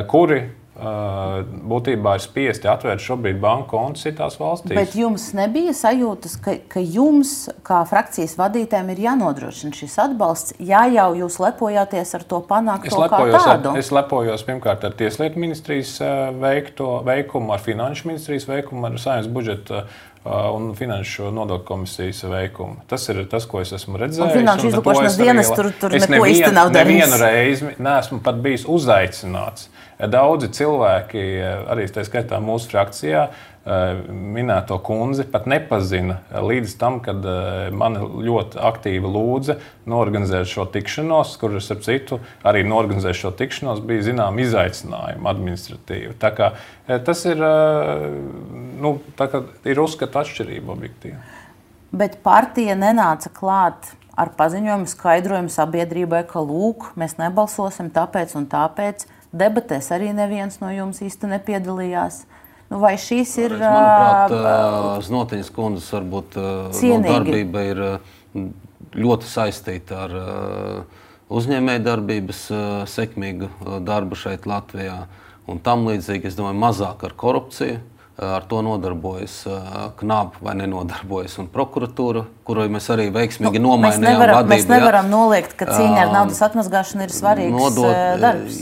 kuri būtībā ir spiesti atvērt šobrīd banku kontus citās valstīs. Bet jums nebija sajūtas, ka, ka jums, kā frakcijas vadītājiem, ir jānodrošina šis atbalsts, ja jau jūs lepojāties ar to panākto kā tādu? Ar, es lepojos pirmkārt ar Tieslietu ministrijas veikto, veikumu, ar Finanšu ministrijas veikumu, ar Saeimas budžeta un Finanšu nodokļu komisijas veikumu. Tas ir tas, ko es esmu redzējis. Un Finanšu izlūkošanas dienas tur, tur neko nevien, īsti nav darījis. Es nevienu reizi neesmu pat bijis uzaicināts. Daudzi cilvēki, arī tā skaitā mūsu frakcijā, minēto kundzi pat nepazina līdz tam, kad mani ļoti aktīvi lūdza norganizēt šo tikšanos, kur es ar citu arī norganizēt šo tikšanos, bija zinām izaicinājumi administratīvi. Tā kā tas ir, nu, tā kā ir uzskata atšķirība objektīvi. Bet partija nenāca klāt ar paziņojumu skaidrojumu sabiedrībai, ka lūk, mēs nebalsosim tāpēc un tāpēc. Debatēs arī neviens no jums īsti nepiedalījās. Nu, vai šīs ir... Manuprāt, Znotiņas kundzes varbūt no darbība ir ļoti saistīta ar uzņēmēju darbības sekmīgu darbu šeit Latvijā. Un tam līdzīgi, es domāju, mazāk ar korupciju. Ar to nodarbojas Knab vai nenodarbojas un prokuratūra, kurai mēs arī veiksmīgi nu, nomainījām mēs nevaram, vadību. Mēs nevaram noliegt, ka cīņa ar naudas atmazgāšanu ir svarīgs nodot, darbs.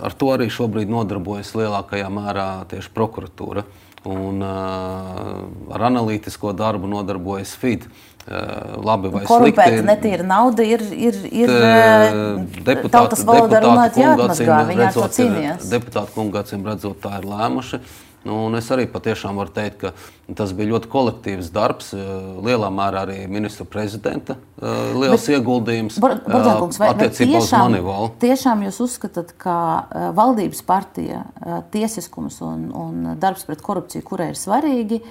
Ar to arī šobrīd nodarbojas lielākajā mērā tieši prokuratūra. Un uh, ar analītisko darbu nodarbojas F I D. Uh, labi vai Korumpēta slikti. Korumpēta netīra nauda ir, ir, ir deputāti, tautas valodā runāt jāatmazgā, viņi ar to cīnījās. Deputāti kungi acīm redzot tā ir lēmuši. Nu, un es arī patiešām varu teikt, ka tas bija ļoti kolektīvs darbs, lielā mērā arī ministra prezidenta liels Bet, ieguldījums Bordākungs, vai, attiecībā vai tiešām, uz Manivolu. Tiešām jūs uzskatāt, ka valdības partija, tiesiskums un, un darbs pret korupciju, kurai ir svarīgi,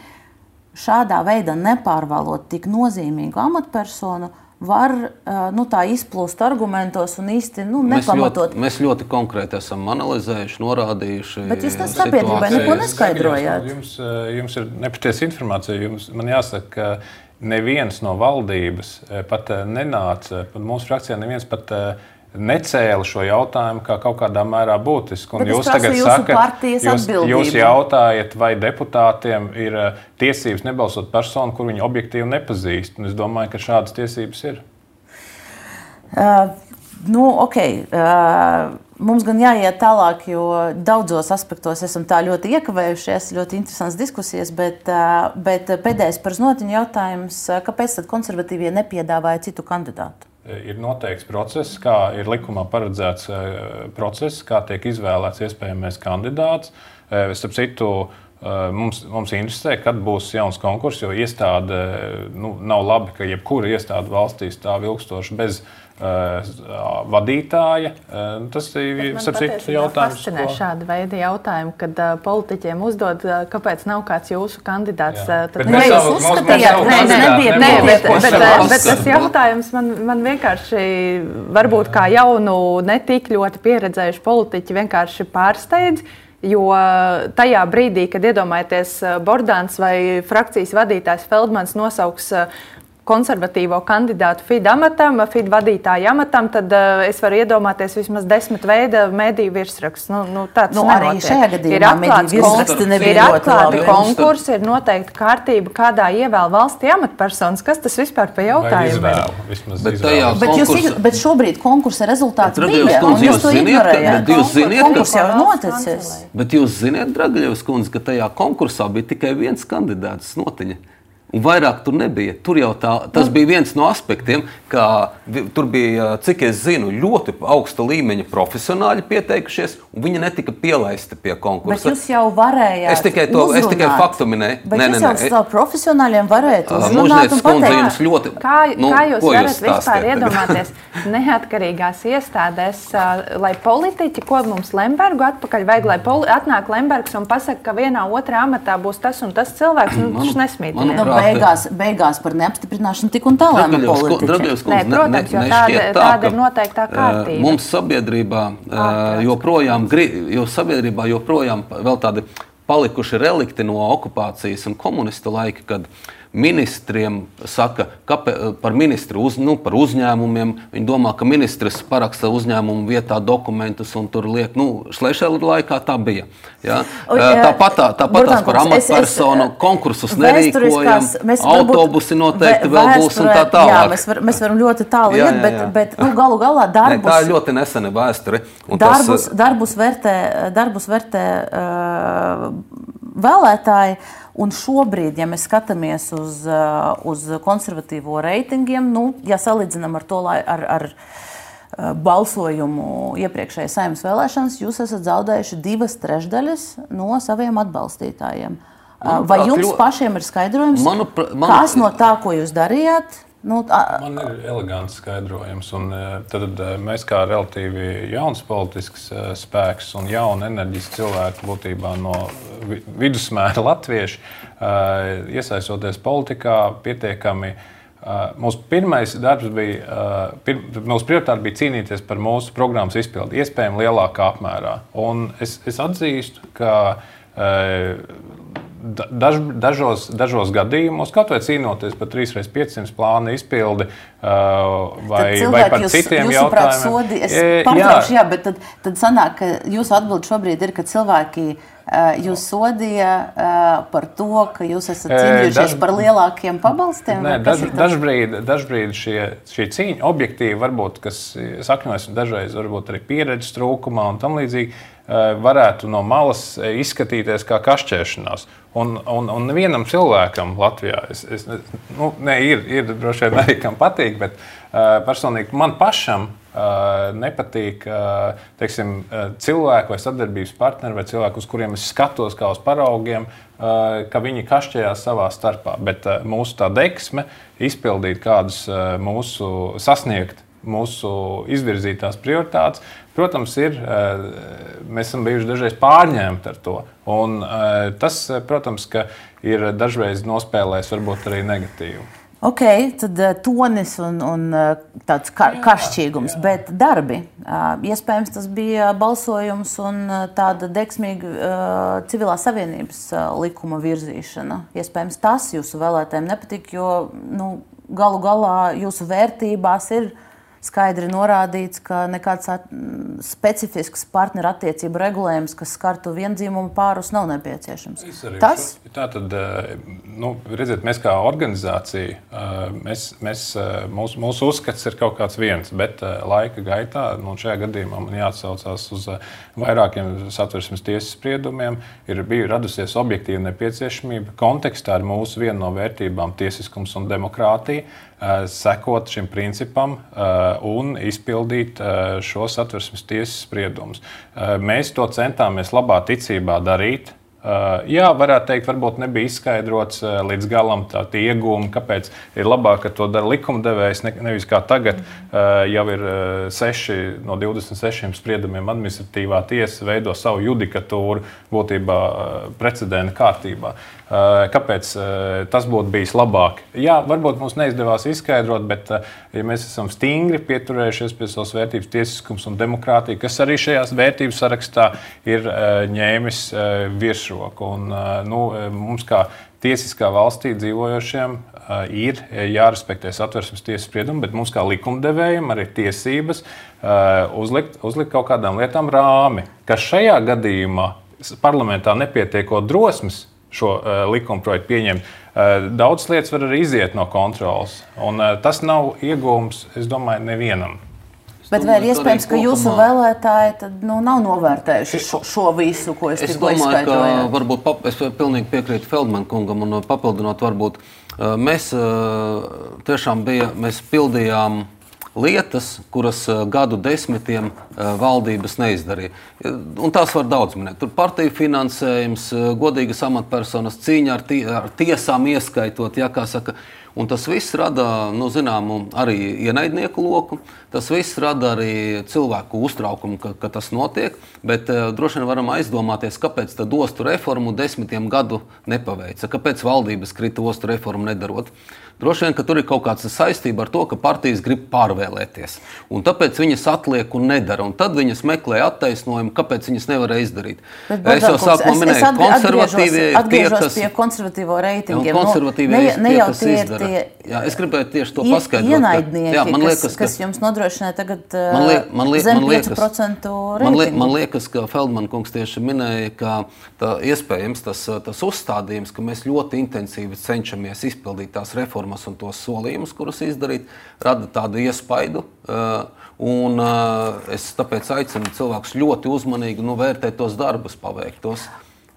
šādā veidā nepārvalot tik nozīmīgu amatpersonu, var nu, tā izplūst argumentos un īsti nu, nepamatot. Mēs ļoti, mēs ļoti konkrēti esam analizējuši, norādījuši. Bet jūs tas sabiedrībai neko neskaidrojāt. Jums, jums ir nepatiesa informācija. Jums, man jāsaka, ka neviens no valdības pat nenāca, pat mūsu frakcijā neviens pat necēla šo jautājumu kā kaut kādā mērā būtisku. Jūs tagad sakat, jūs, jūs jautājat, vai deputātiem ir tiesības nebalsot personu, kur viņi objektīvi nepazīst. Un es domāju, ka šādas tiesības ir. Uh, nu, ok. Uh, mums gan jāiet tālāk, jo daudzos aspektos esam tā ļoti iekavējušies, ļoti interesants diskusijas, bet, uh, bet pēdējais par Znotiņu jautājums, kāpēc tad konservatīvie nepiedāvāja citu kandidātu? Ir noteikts process, kā ir likumā paredzēts process, kā tiek izvēlēts iespējamais kandidāts. Starp citu, mums, mums interesē, kad būs jauns konkurss, jo iestāde, nu, nav labi, ka jebkura iestāde valstī stāv ilgstoši bez uh, vadītāja. Uh, tas ir sapcīts jautājums. Man ko... šāda veida jautājumu, kad uh, politiķiem uzdod, uh, kāpēc nav kāds jūsu kandidāts. Uh, tad ne, jūs uzskatījāt, nē, nē, nebija, nē, bet, bet, bet, bet tas jautājums man, man vienkārši, varbūt kā jaunu, netik ļoti pieredzējuši politiķi vienkārši pārsteidz. Jo tajā brīdī, kad iedomājaties Bordāns vai frakcijas vadītājs Feldmans nosauks konservatīvo kandidātu F I D amatam, F I D vadītāja amatam, tad uh, es varu iedomāties vismaz desmit veida mediju virsraksts. Nu, nu, tāds nu, nenotiek. Arī šajā gadījumā mediju virsraksti nebija ir atklāti konkursi, ir noteikti kārtība, kādā ievēl valstī amatpersonas. Kas tas vispār pa jautājumu ir? Bet, bet, jūs, bet šobrīd konkursa rezultāts bija, un jūs to ignorējāt. Konkurss jau ir noticis. Bet jūs ziniet, Dragaļevs kundze, ka tajā konkursā bija tikai viens kandidāts, Znotiņa. Un vairāk tur nebija. Tur jau tā, tas bija viens no aspektiem, ka tur bija, cik es zinu, ļoti augsta līmeņa profesionāļi pieteikušies, un viņi netika pielaisti pie konkursa. Bet jūs jau varējāt es tikai to, uzrunāt. Es tikai faktu minēju. Bet nē, jūs nē, jau nē. stāv profesionāļiem varētu uzrunāt Mužnieces un pateikt. Jums ļoti, kā, nu, kā jūs varat jūs vispār iedomāties neatkarīgās iestādēs, lai politiķi, ko mums Lembergu atpakaļ vajag, lai poli, atnāk Lembergs un pasaka, ka vienā otrā amatā būs tas un tas cilvēks, nu, tas nesmīd. Beigās, beigās par neapstiprināšanu tik un tā lēma politiķi. Dragaļevs kundze, Nē, protams, jo tāda, tā, tāda ir noteiktā kārtība. Mums sabiedrībā joprojām, jo sabiedrībā joprojām vēl tādi palikuši relikti no okupācijas un komunistu laika, kad ministriem saka, kāpēc, par ministru uz, nu, par uzņēmumiem. Viņi domā, ka ministrs paraksta uzņēmumu vietā dokumentus un tur liek, nu, Šlešela laikā tā bija. Ja? Tāpat tā, tāpat tās par amatpersonu konkursus nerīkojam, autobusi noteikti vēl būs un tā tālāk. Jā, mēs, var, mēs varam ļoti tālu jā, iet, bet, jā, jā. bet nu, galu galā darbus... Ne, tā ir ļoti nesena vēsture. Darbus, tas, darbus vērtē, darbus vērtē uh, vēlētāji. Un šobrīd, ja mēs skatāmies uz, uz konservatīvo reitingiem, nu, ja salīdzinām ar to, ar, ar balsojumu iepriekšējā Saeimas vēlēšanas, jūs esat zaudējuši divas trešdaļas no saviem atbalstītājiem. Manuprāt, vai jums pašiem ir skaidrojums, manupra, manu... kas no tā, ko jūs darījāt? Nu, tā... Man ir elegants skaidrojums. Un, tad mēs kā relatīvi jauns politisks spēks un jauna enerģiski cilvēki būtībā no vidusmēra latvieši, iesaistoties politikā, pietiekami. Mūsu pirmais darbs bija, pir, mūsu prioritāte bija cīnīties par mūsu programmas izpildi, iespējami lielākā apmērā. Un es, es atzīstu, ka Daž, dažos, dažos gadījumos, kaut vai cīnoties par trīs reizes piecsimt plānu izpildi vai, vai par jūs, citiem jautājumiem. Sodi, es pārtraukšu, jā, bet tad, tad sanāk, ka jūsu atbilde šobrīd ir, ka cilvēki jūs sodīja par to, ka jūs esat cīnījušies daž, par lielākiem pabalstiem? Nē, daž, dažbrīd, dažbrīd šie, šī cīņa objektīvi varbūt, kas sakņojas dažreiz varbūt arī pieredzes trūkumā un tam līdzīgi, varētu no malas izskatīties kā kašķēšanās. Un, un, un nevienam cilvēkam Latvijā, es, es, nu, ne, ir, ir droši vien arī kam patīk, bet uh, personīgi man pašam uh, nepatīk uh, teiksim, uh, cilvēku vai sadarbības partneri vai cilvēku, uz kuriem es skatos kā uz paraugiem, uh, ka viņi kašķējās savā starpā. Bet uh, mūsu tā deksme izpildīt kādus uh, mūsu sasniegt, mūsu izvirzītās prioritātes, protams, ir, mēs esam bijuši dažreiz pārņemti ar to. Un tas, protams, ka ir dažreiz nospēlējis varbūt arī negatīvi. Ok, tad tonis un, un tāds ka, kašķīgums, jā. Bet darbi. Iespējams, tas bija balsojums un tāda deksmīga civilās savienības likuma virzīšana. Iespējams, tas jūsu vēlētājiem nepatīk, jo nu, galu galā jūsu vērtībās ir skaidri norādīts, ka nekāds specifisks partneru attiecību regulējums, kas skartu viendzimuma pārus, nav nepieciešams. Tas? Tā tad, nu, redziet, mēs kā organizācija, mēs, mēs, mūsu, mūsu uzskats ir kaut kāds viens, bet laika gaitā, nu, šajā gadījumā man jāatsaucās uz vairākiem Satversmes tiesas spriedumiem, ir biju radusies objektīva nepieciešamība kontekstā ar mūsu vienu no vērtībām tiesiskums un demokrātija, sekot šim principam un izpildīt šos Satversmes tiesas spriedumus. Mēs to centāmies labā ticībā darīt. Jā, varētu teikt, varbūt nebija izskaidrots līdz galam tā iegūmi, kāpēc ir labāk, ka to dara likumdevējs, ne, nevis kā tagad jau ir seši no divdesmit sešiem spriedumiem administratīvā tiesa veido savu judikatūru būtībā precedenta kārtībā. Kāpēc tas būtu bijis labāk? Jā, varbūt mums neizdevās izskaidrot, bet ja mēs esam stingri pieturējušies pie savas vērtības tiesiskums un demokrātija, kas arī šajās vērtības sarakstā ir ņēmis virsroku. Un, nu, mums kā tiesiskā valstī dzīvojošiem ir jārespektē Satversmes tiesas spriedumi, bet mums kā likumdevējiem arī tiesības uzlikt, uzlikt kaut kādām lietām rāmi, kas šajā gadījumā parlamentā nepietiekot drosmes šo uh, likumprojektu pieņemt. Uh, daudz lietas var arī iziet no kontrolas, un uh, tas nav iegūms, es domāju, nevienam. Bet vai ir iespējams, ka jūsu vēlētāji tad, nu, nav novērtējuši šo, šo visu, ko es, es tikko izskaidroju? Es domāju, ka varbūt pap, es pilnīgi piekrītu Feldman kungam un papildinot varbūt, uh, mēs uh, tiešām bija, mēs pildījām lietas, kuras gadu desmitiem valdības neizdarīja. Un tās var daudz minēt. Tur partiju finansējums, godīgas amatpersonas, cīņa ar, tie, ar tiesām ieskaitot, ja, kā saka. Un tas viss rada, nu, zināmu, arī ienaidnieku loku. Tas viss rada arī cilvēku uztraukumu, ka, ka tas notiek. Bet uh, droši vien varam aizdomāties, kāpēc tad ostu reformu desmitiem gadu nepaveica. Kāpēc valdības krita ostu reformu nedarot. Droši vien, ka tur ir kaut kāds saistība ar to, ka partijas grib pārvēlēt. izvēlēties. Un tāpēc viņas atliek un nedara. Un tad viņas meklē attaisnojumu, kāpēc viņas nevarēja izdarīt. Bet, es jau sākumā minēju, ka konservatīvie ir tie, kas... pie konservatīvo reitingiem. Konservatīvie nu, ne, ir tie, kas tie izdara. Tie jā, es gribēju tieši to paskaidrot. Ienaidnieki, jā, man liekas, kas, ka, kas jums nodrošināja tagad man liek, man liek, zem man liekas, pieci procenti reitingu. Man, liek, man liekas, ka Feldman kungs tieši minēja, ka tā, iespējams tas, tas uzstādījums, ka mēs ļoti intensīvi cenšamies izpildīt tās reformas un tos solījumus, kurus izdarīt, rada tādu iespaidu. Uh, un uh, es tāpēc aicinu cilvēkus ļoti uzmanīgi nu, vērtēt tos darbus paveiktos.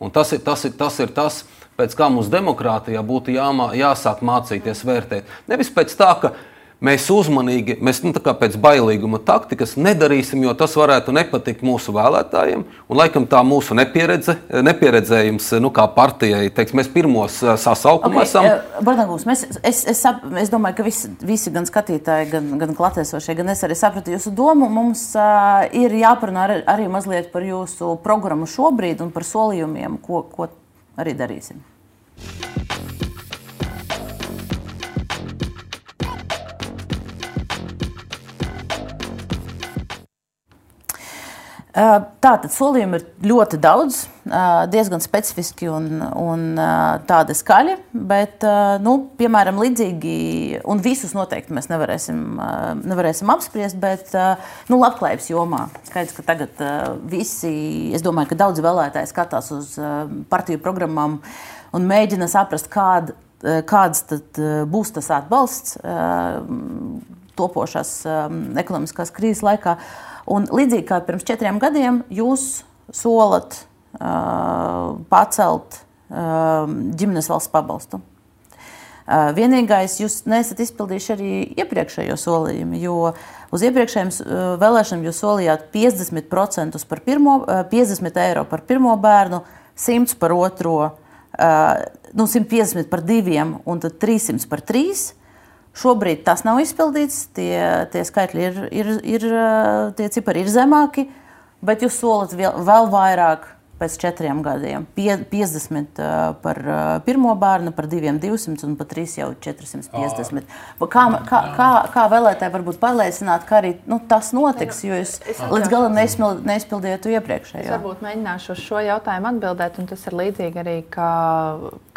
Un tas ir tas, ir, tas, ir tas pēc kā mums demokrātijā būtu jāmā, jāsāk mācīties vērtēt. Nevis pēc tā, ka mēs uzmanīgi, mēs nu, tā kā pēc bailīguma taktikas nedarīsim, jo tas varētu nepatikt mūsu vēlētājiem. Un laikam tā mūsu nepieredze, nepieredzējums, nu kā partijai, teiks, mēs pirmos sasaukumā okay, esam. Bardankungs, mēs, es, es, es domāju, ka visi, visi gan skatītāji, gan, gan klātesošie, gan es arī sapratu jūsu domu. Mums uh, ir jāparunā arī, arī mazliet par jūsu programmu šobrīd un par solījumiem, ko, ko arī darīsim. Tātad solījumi ir ļoti daudz, diezgan specifiski un, un tādi skaļi, bet, nu, piemēram, līdzīgi, un visus noteikti mēs nevarēsim, nevarēsim apspriest, bet, nu, labklājības jomā. Skaidrs, ka tagad visi, es domāju, ka daudz vēlētāji skatās uz partiju programmām un mēģina saprast, kād, kāds tad būs tas atbalsts topošās ekonomiskās krīzes laikā. Un līdzīgi kā pirms četriem gadiem, jūs solat uh, pacelt uh, ģimenes valsts pabalstu. Uh, vienīgais, jūs neesat izpildījuši arī iepriekšējo solījumu, jo uz iepriekšējiem uh, vēlēšanām jūs solījāt piecdesmit procentus par pirmo, uh, piecdesmit eiro par pirmo bērnu, simts par otro, uh, nu, simt piecdesmit par diviem un tad trīssimt par trīs. Šobrīd tas nav izpildīts, tie, tie skaitļi ir, ir, ir, tie cipari ir zemāki, bet jūs solat vēl, vēl vairāk pēc četriem gadiem. Pie, piecdesmit par pirmo bērnu, par diviem divsimt un par trīs jau četrsimt piecdesmit. Kā, kā, kā, kā vēlētāji varbūt pārliecināt, ka arī nu, tas notiks, jo jūs līdz galam neizpildījāt iepriekšējo? Es varbūt mēģināšu uz šo jautājumu atbildēt, un tas ir līdzīgi arī kā,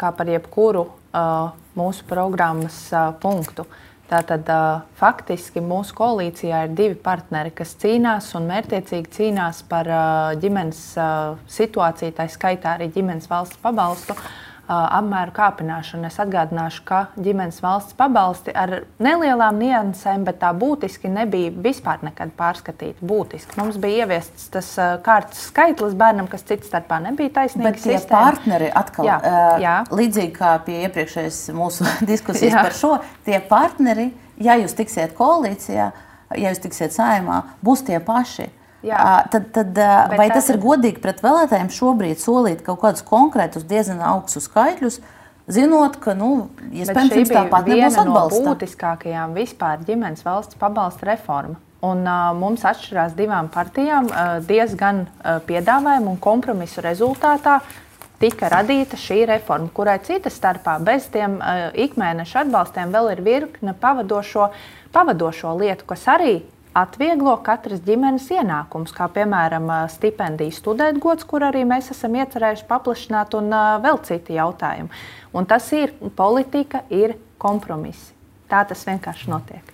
kā par jebkuru uh, mūsu programmas uh, punktu. Tātad uh, faktiski mūsu koalīcijā ir divi partneri, kas cīnās un mērķtiecīgi cīnās par uh, ģimenes uh, situāciju, tā skaitā arī ģimenes valsts pabalstu uh, apmēru kāpināšanu. Es atgādināšu, ka ģimenes valsts pabalsti ar nelielām niansēm, bet tā būtiski nebija vispār nekad pārskatīta. Būtiski. Mums bija ieviests tas uh, kārtas skaitlis bērnam, kas cits starpā nebija taisnīga bet tie sistēma. Partneri atkal, jā, uh, jā. Līdzīgi kā pie iepriekšējas mūsu diskusijas jā. Par šo, tie partneri, ja jūs tiksiet koalīcijā, ja jūs tiksiet saimā, būs tie paši. Jā. Tad, tad, vai tas ir godīgi pret vēlētājiem šobrīd solīt kaut kādus konkrētus, diezgan augstus skaitļus, zinot, ka, nu, iespējams, jums tāpat nebūs atbalsta? Viena no būtiskākajām vispār ģimenes valsts pabalsta reforma. Un uh, mums atšķirās divām partijām uh, diezgan uh, piedāvājumu un kompromisu rezultātā tika radīta šī reforma, kurai citas starpā bez tiem uh, ikmēneša atbalstiem vēl ir virkne pavadošo, pavadošo lietu, kas arī atvieglo katras ģimenes ienākums, kā piemēram stipendiju studētgods, kur arī mēs esam iecerējuši paplašināt, un uh, vēl citi jautājumi. Un tas ir politika, ir kompromisi. Tā tas vienkārši notiek.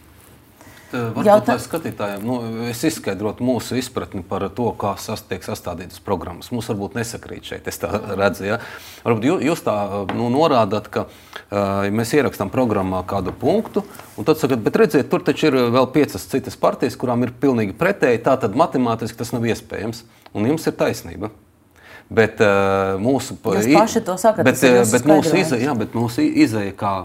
Varbūt, Jautā... lai skatītājiem, nu, es izskaidrotu mūsu izpratni par to, kā sas, tiek sastādītas programmas. Mums varbūt nesakrīt šeit, es tā redzu. Ja? Varbūt jūs, jūs tā nu, norādāt, ka uh, mēs ierakstām programmā kādu punktu, un tad sakat, bet redziet, tur taču ir vēl piecas citas partijas, kurām ir pilnīgi pretēji, tātad matemātiski tas nav iespējams. Un jums ir taisnība. Bet uh, mūsu... Jūs paši to sakat, bet, tas ir jūsu bet mūsu izēja, jā, bet mūsu izēja, kā,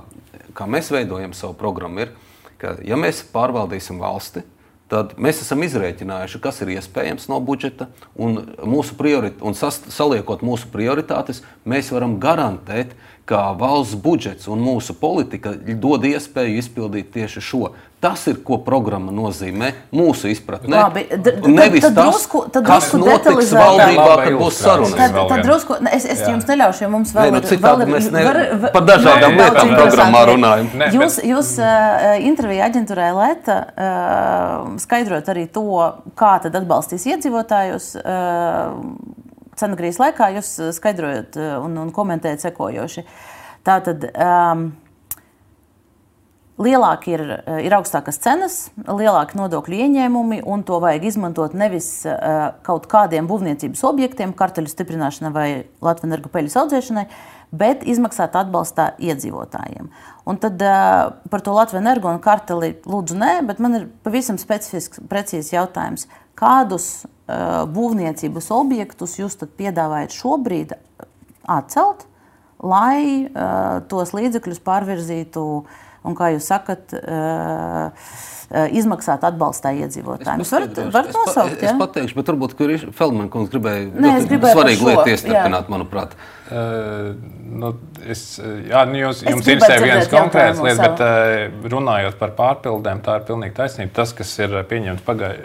kā mēs veidojam savu programmu, ir, ka, ja mēs pārvaldīsim valsti, tad mēs esam izrēķinājuši, kas ir iespējams no budžeta, un, mūsu priorit- un sas- saliekot mūsu prioritātes, mēs varam garantēt, ka valsts budžets un mūsu politika dod iespēju izpildīt tieši šo. Tas ir, ko programma nozīmē mūsu izpratnē. Labi, d- d- Nevis tad tas, drusku- tad kas drusku notiks detalizētāk. valdībā, Laba kad būs ilustrācija. sarunas. Tad, vēl tad vienu. drusku, es, es Jā. jums neļaušu, jo mums vēl Nē, nu, ir citādi vēl ir- mēs ne- var- var- par dažādām Nē, lietām daudz programmā interesanti. runājam. Nē, Jūs, jūs uh, intervijā aģentūrai Leta uh, skaidrot arī to, kā tad atbalstīs iedzīvotājus. Uh, Cenagrīs laikā jūs skaidrojat uh, un, un komentējat sekojoši. Tātad um, lielāki ir, ir augstākas cenas, lielāki nodokļu ieņēmumi, un to vajag izmantot nevis uh, kaut kādiem būvniecības objektiem, karteļu stiprināšanai vai Latvenergo peļas audzēšanai, bet izmaksāt atbalstā iedzīvotājiem. Un tad uh, par to Latvenergo un karteli lūdzu nē, bet man ir pavisam specifisks, precīzs jautājums. Kādus uh, būvniecības objektus jūs tad piedāvājat šobrīd atcelt, lai uh, tos līdzekļus pārvirzītu un, kā jūs sakat, uh, uh, izmaksāt atbalstā iedzīvotājiem. Jūs varat, varat nosaukt, es, ja? es pateikšu, bet varbūt, kur ir Feldman kungs gribēja Nē, es gribēju par svarīgu šo, lietu jā. iestarpināt, manuprāt. Uh, nu, es, jā, nu jūs, Es jums gribētu interesē viens dzirdēt konkrēts jautājumu lietas, savu. bet uh, runājot par pārpildēm, tā ir pilnīgi taisnība. Tas, kas ir pieņemts pagāj,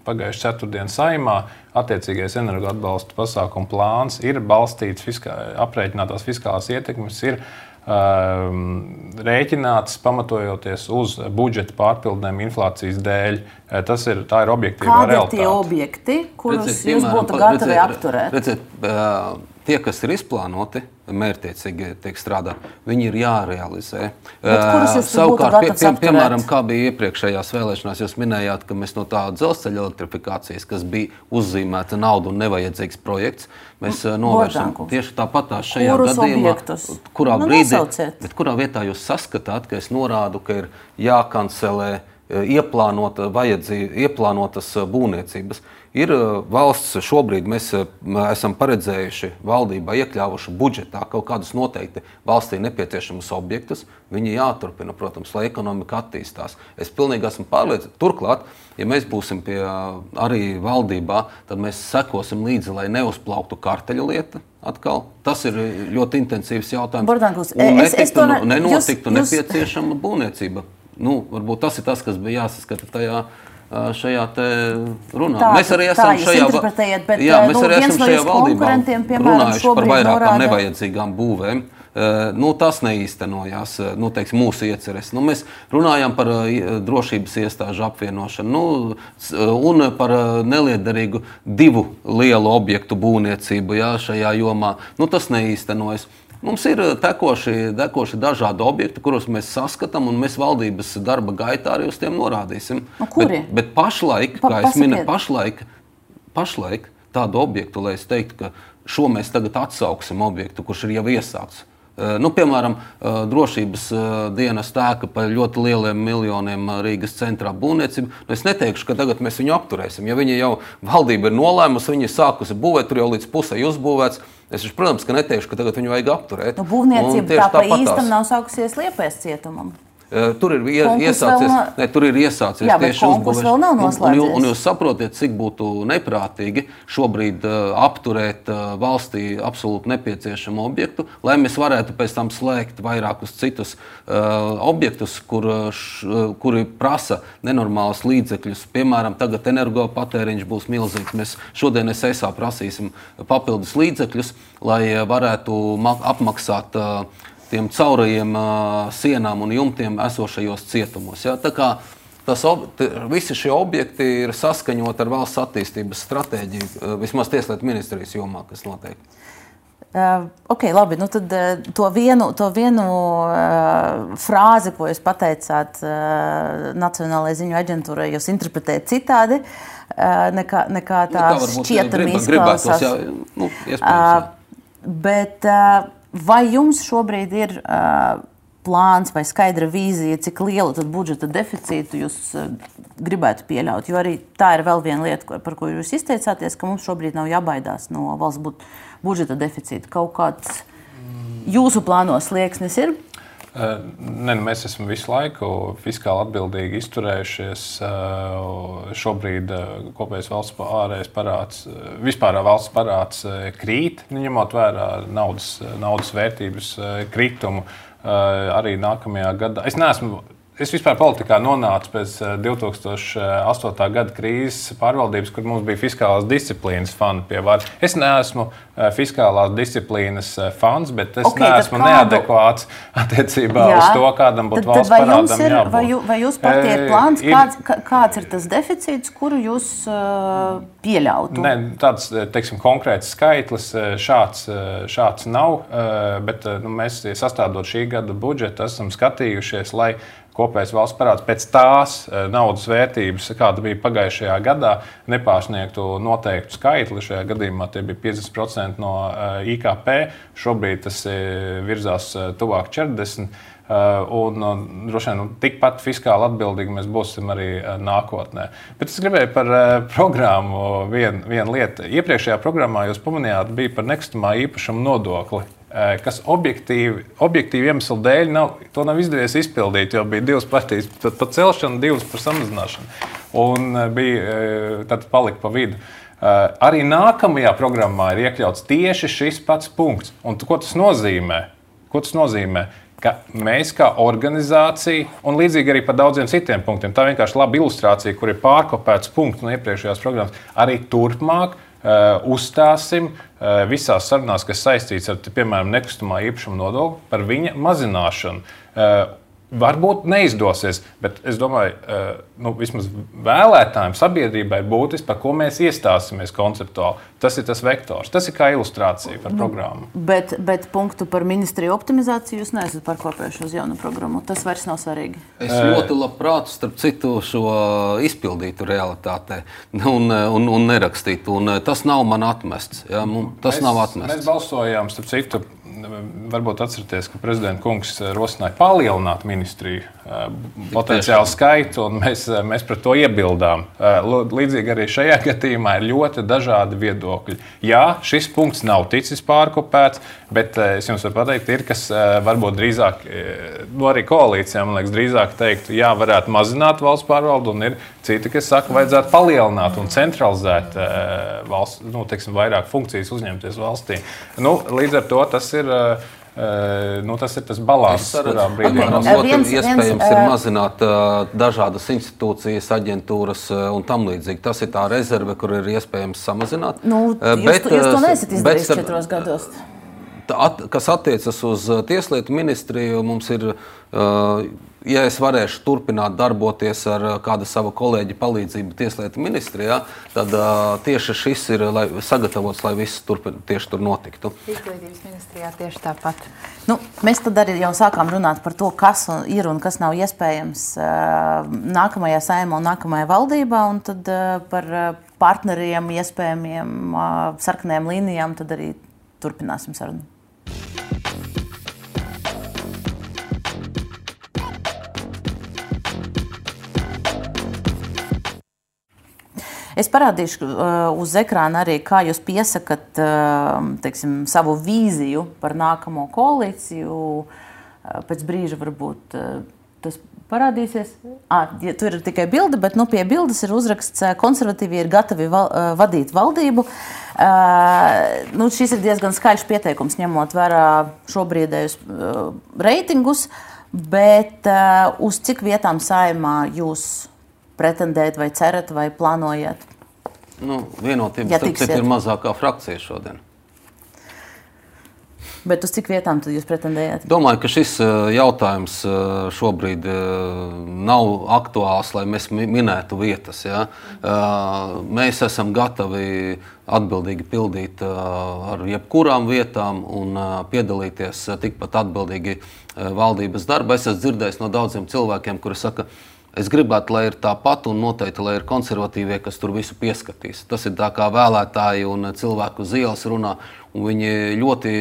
pagājušajā ceturtdienas saimā, attiecīgais energoatbalsta pasākumu plāns ir balstīts fiskā, aprēķinātās fiskālās ietekmes, ir um, rēķināts pamatojoties uz budžeta pārpildēm inflācijas dēļ. Tas ir, tā ir objektīvā Kādi ir realitāte. tie objekti, kurus Redzēt, jūs piemēram, būtu pa- gatavi redzēt, apturēt? Redzēt, uh, tie, kas ir izplānoti, mērķtiecīgi tiek strādāt, viņi ir jārealizē. Bet kurus jūs tad būtu Savukārt, gatavs apturēt? piemēram, kā bija iepriekšējās vēlēšanās, jūs minējāt, ka mēs no tā dzelzceļa elektrifikācijas, kas bija uzzīmēta nauda un nevajadzīgs projekts, mēs uh, novēršam Bordankungs. tieši tāpatās šajā Kurus gadījumā, objektus? kurā Nu, brīdī, nosauciet. bet kurā vietā jūs saskatāt, ka es norādu, ka ir jākancelē ieplānota vajadzība, ieplānotas būvniecības. Ir valsts šobrīd, mēs esam paredzējuši valdībā, iekļāvuši budžetā kaut kādus noteikti valstī nepieciešamus objektus. Viņi jāturpina, protams, lai ekonomika attīstās. Es pilnīgi esmu pārliecināts. Turklāt, ja mēs būsim pie arī valdībā, tad mēs sekosim līdzi, lai neuzplauktu karteļa lieta atkal. Tas ir ļoti intensīvs jautājums. Bordankungs, Un es- es netiktu, to ne- nenotiktu jūs- jūs- nepieciešama būvniecība. Nu, varbūt tas ir tas, kas bija jāsaskata tajā, šajā te runā. Tā, mēs arī tā esam jūs šajā, va- interpretējat, bet, jā, mēs nu, arī viens esam no šajā jūsu valdībā konkurentiem, piemēram, runājuši par šobrīd vairākām norāda- nevajadzīgām būvēm. Uh, nu, tas neīstenojās, nu, teiksim, mūsu ieceres. Nu, mēs runājām par uh, drošības iestāžu apvienošanu nu, s- un par uh, neliederīgu divu lielu objektu būvniecību jā, šajā jomā. Nu, tas neīstenojas. Mums ir tekoši, tekoši dažādi objekti, kurus mēs saskatām, un mēs valdības darba gaitā arī uz tiem norādīsim. Nu, kuri? Bet, bet pašlaik, Pa- kā es minēju, pasakiet. pašlaik, pašlaik tādu objektu, lai es teiktu, ka šo mēs tagad atsauksim objektu, kurš ir jau iesākts. Uh, nu, piemēram, uh, drošības uh, dienas tēka par ļoti lieliem miljoniem uh, Rīgas centrā būvniecību. Nu, es neteikšu, ka tagad mēs viņu apturēsim. Ja viņi jau valdība ir nolēmusi, viņi ir sākusi būvēt, tur jau līdz pusē uzbūvēts. Es, protams, ka neteikšu, ka tagad viņu vajag apturēt. Nu, Un būvniecība tieši tā pa tāpatās. īstam nav sākusies Liepājas cietumam. Uh, Tur ir ie, Konkurss iesācies, vēl nav- ne, tur ir iesācies Jā, bet tieši konkurss uzbūvēšana. vēl nav Un- Un, noslēdzies. jū- un jūs saprotiet, cik būtu neprātīgi šobrīd uh, apturēt uh, valstī absolūti nepieciešamu objektu, lai mēs varētu pēc tam slēgt vairākus citus uh, objektus, kur, uh, š, uh, kuri prasa nenormālus līdzekļus. Piemēram, tagad energopatēriņš būs milzīgs. Mēs šodien es E S A prasīsim papildus līdzekļus, lai uh, varētu ma- apmaksāt uh, tiem caurajiem uh, sienām un jumtiem esošajos cietumos. Ja? Tā kā tas, ob, t, visi šie objekti ir saskaņoti ar valsts attīstības stratēģiju, uh, vismaz Tieslietu ministrijas jomā, kas notiek. Uh, ok, labi. Nu tad uh, to vienu, to vienu uh, frāzi, ko jūs pateicāt uh, Nacionālajai ziņu aģentūrai, jūs interpretējat citādi, uh, nekā, nekā tā Nu, varbūt šķietami grib- gribētos, izklausās. jā, nu, iespējams, jā. Uh, bet uh, vai jums šobrīd ir uh, plāns vai skaidra vīzija, cik lielu tad budžeta deficītu jūs uh, gribētu pieļaut? Jo arī tā ir vēl viena lieta, ko- par ko jūs izteicāties, ka mums šobrīd nav jābaidās no valsts bu- budžeta deficīta. Kaut kāds jūsu plānos slieksnis ir? Ne, nu mēs esam visu laiku fiskāli atbildīgi izturējušies. Šobrīd kopējais valsts ārējais parāds, vispārā valsts parāds krīt, ņemot vērā naudas, naudas vērtības kritumu arī nākamajā gadā. Es neesmu Es vispār politikā nonācu pēc divi tūkstoši astotā gada krīzes pārvaldības, kur mums bija fiskālās disciplīnas fani pie varas. Es neesmu fiskālās disciplīnas fans, bet es okay, neesmu kādu... neadekvāts attiecībā Jā. Uz to, kādam būtu valsts parādam ir, jābūt. Vai, jū, vai jūs partija ir plāns, ir... Kāds, kāds ir tas deficīts, kuru jūs uh, pieļautu? Ne, tāds, teiksim, konkrēts skaitlis šāds, šāds nav, bet nu, mēs sastādot šī gada budžetu esam skatījušies, lai kopējais valsts parāds pēc tās naudas vērtības, kāda bija pagājušajā gadā, nepārsniegtu noteiktu skaitli. Šajā gadījumā tie bija piecdesmit procenti no I K P. Šobrīd tas virzās tuvāk četrdesmit procenti. Un, un droši vien, tikpat fiskāli atbildīgi mēs būsim arī nākotnē. Bet es gribēju par programmu vienu vien lietu. Iepriekšējā programmā jūs pamanījāt, bija par nekustamā īpašuma nodokli, kas objektīvi, objektīvi iemeslu dēļ nav, to nav izdevies izpildīt, jo bija divas partijas par celšanu, divas par samazināšanu. Un bija, tad palika pa vidu. Arī nākamajā programmā ir iekļauts tieši šis pats punkts. Un ko tas nozīmē? Ko tas nozīmē? Ka mēs kā organizācija, un līdzīgi arī par daudziem citiem punktiem, tā vienkārši laba ilustrācija, kur ir pārkopēts punkts no iepriekšējās programmas, arī turpmāk uh, uzstāsim uh, visās sarunās, kas saistīts ar, piemēram, nekustamā īpašuma nodokli par viņa mazināšanu. Uh, Varbūt neizdosies, bet es domāju, nu, vismaz vēlētājiem, sabiedrībai ir būtiski, par ko mēs iestāsimies konceptuāli. Tas ir tas vektors, tas ir kā ilustrācija par programmu. Bet, bet punktu par ministriju optimizāciju jūs neesat pārkopējuši uz jaunu programmu. Tas vairs nav svarīgi. Es ļoti labprāt, starp citu, šo izpildītu realitātē un, un, un nerakstītu. Un tas nav man atmests. Ja? Tas mēs, nav atmests. Mēs balsojām, starp citu, varbūt atcerieties, ka prezidenta kungs rosināja palielināt ministriju potenciālu skaitu, un mēs, mēs pret to iebildām. Līdzīgi arī šajā gadījumā ir ļoti dažādi viedokļi. Jā, šis punkts nav ticis pārkopēts, bet es jums varu pateikt, ir, kas varbūt drīzāk, no arī koalīcijām, man liekas, drīzāk teikt, jā, varētu mazināt valsts pārvaldu, un ir citi, kas saka, vajadzētu palielināt un centralizēt valsts, nu, teiksim, vairāk funkcijas uzņemties valstī. Nu, līdz ar to tas ir Uh, nu, tas ir tas balanss, kurā brīdī mums viens, iespējams viens, ir mazināt uh, dažādas institūcijas, aģentūras uh, un tam līdzīgi. Tas ir tā rezerve, kur ir iespējams samazināt. Nu, uh, bet, jūs, jūs to neesat izdarījis četros gados. At, kas attiecas uz Tieslietu ministriju, mums ir, uh, ja es varēšu turpināt darboties ar kāda sava kolēģa palīdzību Tieslietu ministrijā, tad uh, tieši šis ir lai, sagatavots, lai viss turpin, tieši tur notiktu. Izglītības ministrijā tieši tāpat. Nu, mēs tad arī jau sākām runāt par to, kas ir un kas nav iespējams uh, nākamajā Saeimā un nākamajā valdībā, un tad uh, par partneriem, iespējamiem uh, sarkanajām līnijām tad arī turpināsim sarunu. Es parādīšu uh, uz ekrāna arī, kā jūs piesakat uh, teiksim, savu vīziju par nākamo koalīciju. Uh, pēc brīža varbūt uh, tas parādīsies. Ah, ja, tur ir tikai bilde, bet nu, pie bildes ir uzraksts uh, konservatīvi ir gatavi val, uh, vadīt valdību. Uh, nu, šis ir diezgan skaļš pieteikums, ņemot vērā šobrīdējus uh, reitingus, bet uh, uz cik vietām Saeimā jūs pretendēt vai cerat vai plānojat? Nu, vienotība ja starp ir mazākā frakcija šodien. Bet uz cik vietām tad jūs pretendējat? Domāju, ka šis jautājums šobrīd nav aktuāls, lai mēs minētu vietas. Ja? Mēs esam gatavi atbildīgi pildīt ar jebkurām vietām un piedalīties tikpat atbildīgi valdības darba. Es esmu dzirdējis no daudziem cilvēkiem, kuri saka, es gribētu, lai ir tāpat un noteikti, lai ir konservatīvie, kas tur visu pieskatīs. Tas ir tā kā vēlētāji un cilvēku uz ielas runā, un viņi ļoti,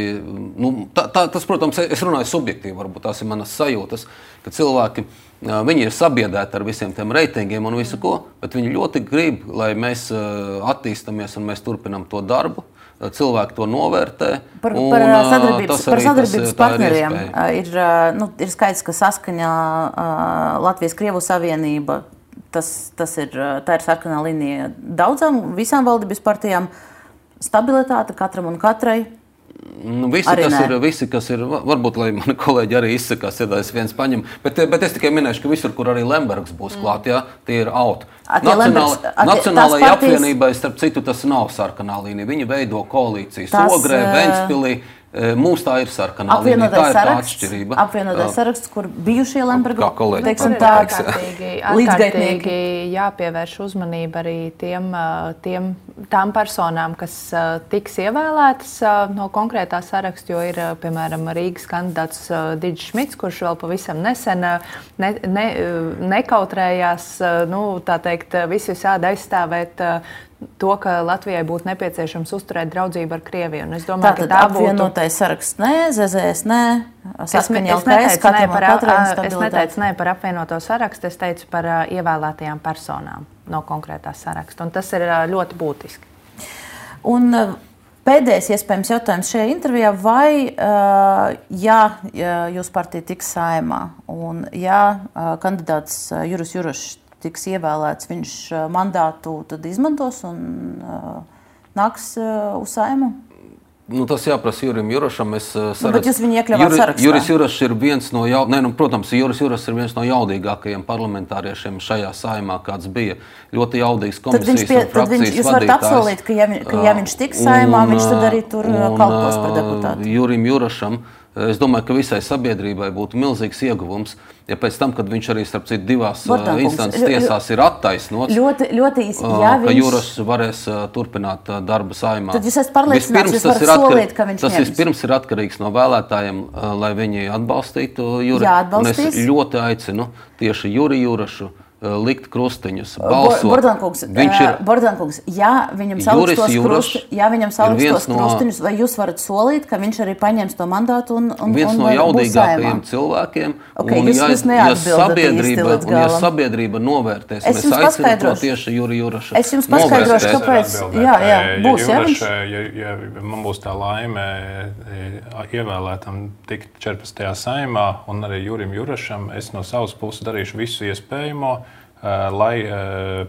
nu, tā, tā, tas, protams, es runāju subjektīvi, varbūt tās ir manas sajūtas, ka cilvēki, viņi ir sabiedēti ar visiem tiem reitingiem un visu ko, bet viņi ļoti grib, lai mēs attīstamies un mēs turpinam to darbu, cilvēki to novērtē. Par, un, par sadarbības, par sadarbības tas, partneriem ir, ir, nu, ir skaidrs, ka saskaņā Latvijas-Krievu savienība, tas, tas ir, tā ir sarkanā līnija daudzām, visām valdības partijām, stabilitāte katram un katrai. Nu, visi, kas ir, visi, kas ir, varbūt, lai mani kolēģi arī izsakās, ja es viens paņem, bet, bet es tikai minēšu, ka visur, kur arī Lembergs būs klāt, jā, tie ir out. Nacionāla, Nacionālajai partijas... apvienībai, starp citu, tas nav sarkanā līnija. Viņi veido koalīcijas tas, Ogrē, Ventspilī. Mums tā ir sarkanā līnija, tā ir tā atšķirība. Apvienotais saraksts, kur bijušie Lemberga, teiksim tā, līdzgaitnieki jāpievērš uzmanība arī tiem, tiem, tām personām, kas tiks ievēlētas no konkrētā saraksta, jo ir, piemēram, Rīgas kandidāts Digis Šmits, kurš vēl pavisam nesen ne, ne, nekautrējās, nu, tā teikt, visu visādi aizstāvēt to, ka Latvijai būtu nepieciešams uzturēt draudzību ar Krieviju. Un es domāju, Tātad ka tā būtu... apvienotais saraksts nē, Z Z S nē, saskaņā es, es, neteicu, ne par, es neteicu ne par apvienoto sarakstu, es teicu par uh, ievēlētajām personām no konkrētā saraksta. Un tas ir uh, ļoti būtiski. Un uh, pēdējais iespējams jautājums šajā intervijā, vai, uh, ja, ja jūs partija tiks Saeimā un ja uh, kandidāts uh, Juris Jurašs tiks ievēlēts, viņš mandātu tad izmantos un uh, nāks uh, uz Saimu? Nu, tas jāprasa Jurim Jurašam. Es saredzu, nu, bet jūs viņu iekļāvāt Juri, sarakstā? Juris Jurašs ir viens no, jau, ne, nu, protams, Juris Jurašs ir viens no jaudīgākajiem parlamentāriešiem šajā Saimā, kāds bija. Ļoti jaudīgs komisijas pie, un frakcijas vadītājs. Jūs varat apsolīt, ka ja, ka ja viņš tiks Saimā, un, viņš tad arī tur un, kalpos par deputātu. Jurim Jurašam, es domāju, ka visai sabiedrībai būtu milzīgs ieguvums, ja pēc tam, kad viņš arī starp citu divās Bortākungs, instances tiesās ir attaisnots, ļoti, ļoti īsi, ja ka viņš... Juras varēs turpināt darba Saimā. Tad jūs esat pārliecināts, jūs varat solīt, ka viņš tas ņems. Tas vispirms ir atkarīgs no vēlētājiem, lai viņi atbalstītu Juri. Jā, atbalstīs. Un es ļoti aicinu tieši Juri Jurašu likt krustiņus, balsot. Bortākungs, viņš ir Bortākungs, ja viņam saliks tos, krusti, ja viņam saliks tos krustiņus, vai jūs varat solīt, ka viņš arī paņems to mandātu un, un, viens un no jaudīgākajiem cilvēkiem. Okay, un, jūs, ja, jūs ja, sabiedrība, un ja sabiedrība novērtēs, es un es aicinu to tieši Juri Jurašu. Es jums paskaidrošu, kāpēc. Jā, jā, būs, ja, Juraš, ja, ja man būs tā laime ievēlētam tikt četrpadsmitajā Saimā un arī Jurim Jurašam, es no savas puses darīšu visu iespējamo, lai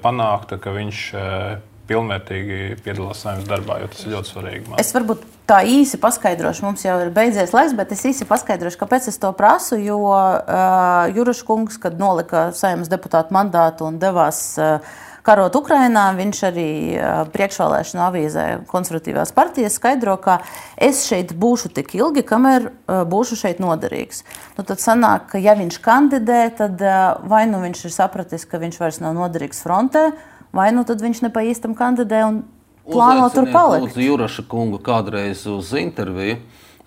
panāktu, ka viņš pilnvērtīgi piedalās Saeimas darbā, jo tas ir ļoti svarīgi. Man. Es varbūt tā īsi paskaidrošu, mums jau ir beidzies laiks, bet es īsi paskaidrošu, kāpēc es to prasu, jo uh, Juraš kungs, kad nolika Saeimas deputātu mandātu un devās uh, karot Ukrainā, viņš arī uh, priekšvēlēšanu avīzē Konservatīvās partijas skaidro, ka es šeit būšu tik ilgi, kamēr uh, būšu šeit noderīgs. Nu, tad sanāk, ka ja viņš kandidē, tad uh, vai nu viņš ir sapratis, ka viņš vairs nav noderīgs frontē, vai nu tad viņš ne pa īstam kandidē un plāno tur palikt. Lūdzu Juraša kungu kādreiz uz interviju,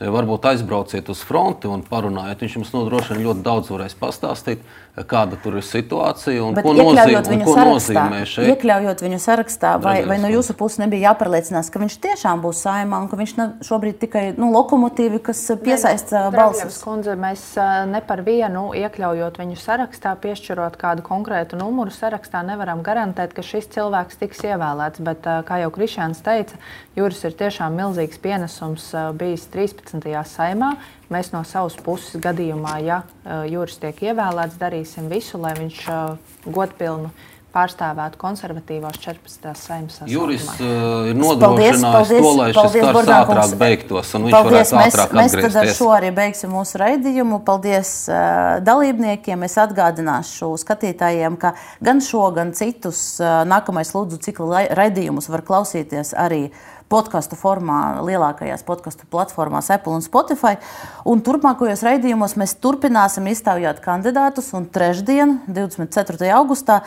varbūt aizbrauciet uz fronti un parunājiet. Viņš jums nodrošina ļoti daudz varēs pastāstīt, kāda tur ir situācija un bet ko, nozīm, un ko nozīmē šeit. Iekļaujot viņu sarakstā, vai, vai no jūsu puses nebija jāpārliecinās, ka viņš tiešām būs Saeimā un ka viņš nav šobrīd tikai nu, lokomotīvi, kas piesaista balsis? Kundze, mēs ne par vienu iekļaujot viņu sarakstā, piešķirot kādu konkrētu numuru sarakstā, nevaram garantēt, ka šis cilvēks tiks ievēlēts, bet, kā jau Krišjāns teica, Juris ir tiešām milzīgs pienesums bijis trīspadsmitajā Saeimā. Mēs no savas puses gadījumā, ja Juris tiek ievēlēts, darīsim visu, lai viņš godpilnu pārstāvētu konservatīvos četrpadsmitās Saeimas sasaukumā. Juris uh, ir nodrošinājis to, lai šis karš ātrāk beigtos, un viņš paldies, varētu ātrāk mēs, atgriezties. Mēs tad ar šo arī beigsim mūsu raidījumu. Paldies uh, dalībniekiem. Es atgādināšu skatītājiem, ka gan šo, gan citus uh, nākamais lūdzu cikla raidījumus var klausīties arī podkastu formā, lielākajās podkastu platformās Apple un Spotify. Un turpmākajos raidījumos mēs turpināsim iztaujāt kandidātus, un trešdien, divdesmit ceturtajā augustā,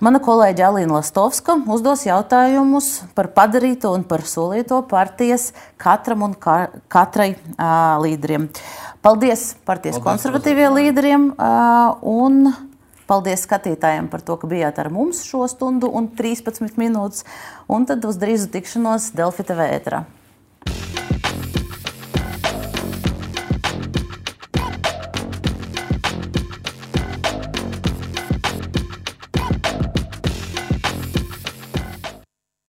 mana kolēģe Alīna Lastovska uzdos jautājumus par padarīto un par solīto partijas katram un ka, katrai uh, līderiem. Paldies partijas paldies, konservatīviem līderiem uh, un paldies skatītājiem par to, ka bijāt ar mums šo stundu un trīspadsmit minūtes. Un tad uz drīzu tikšanos Delfi T V ēterā.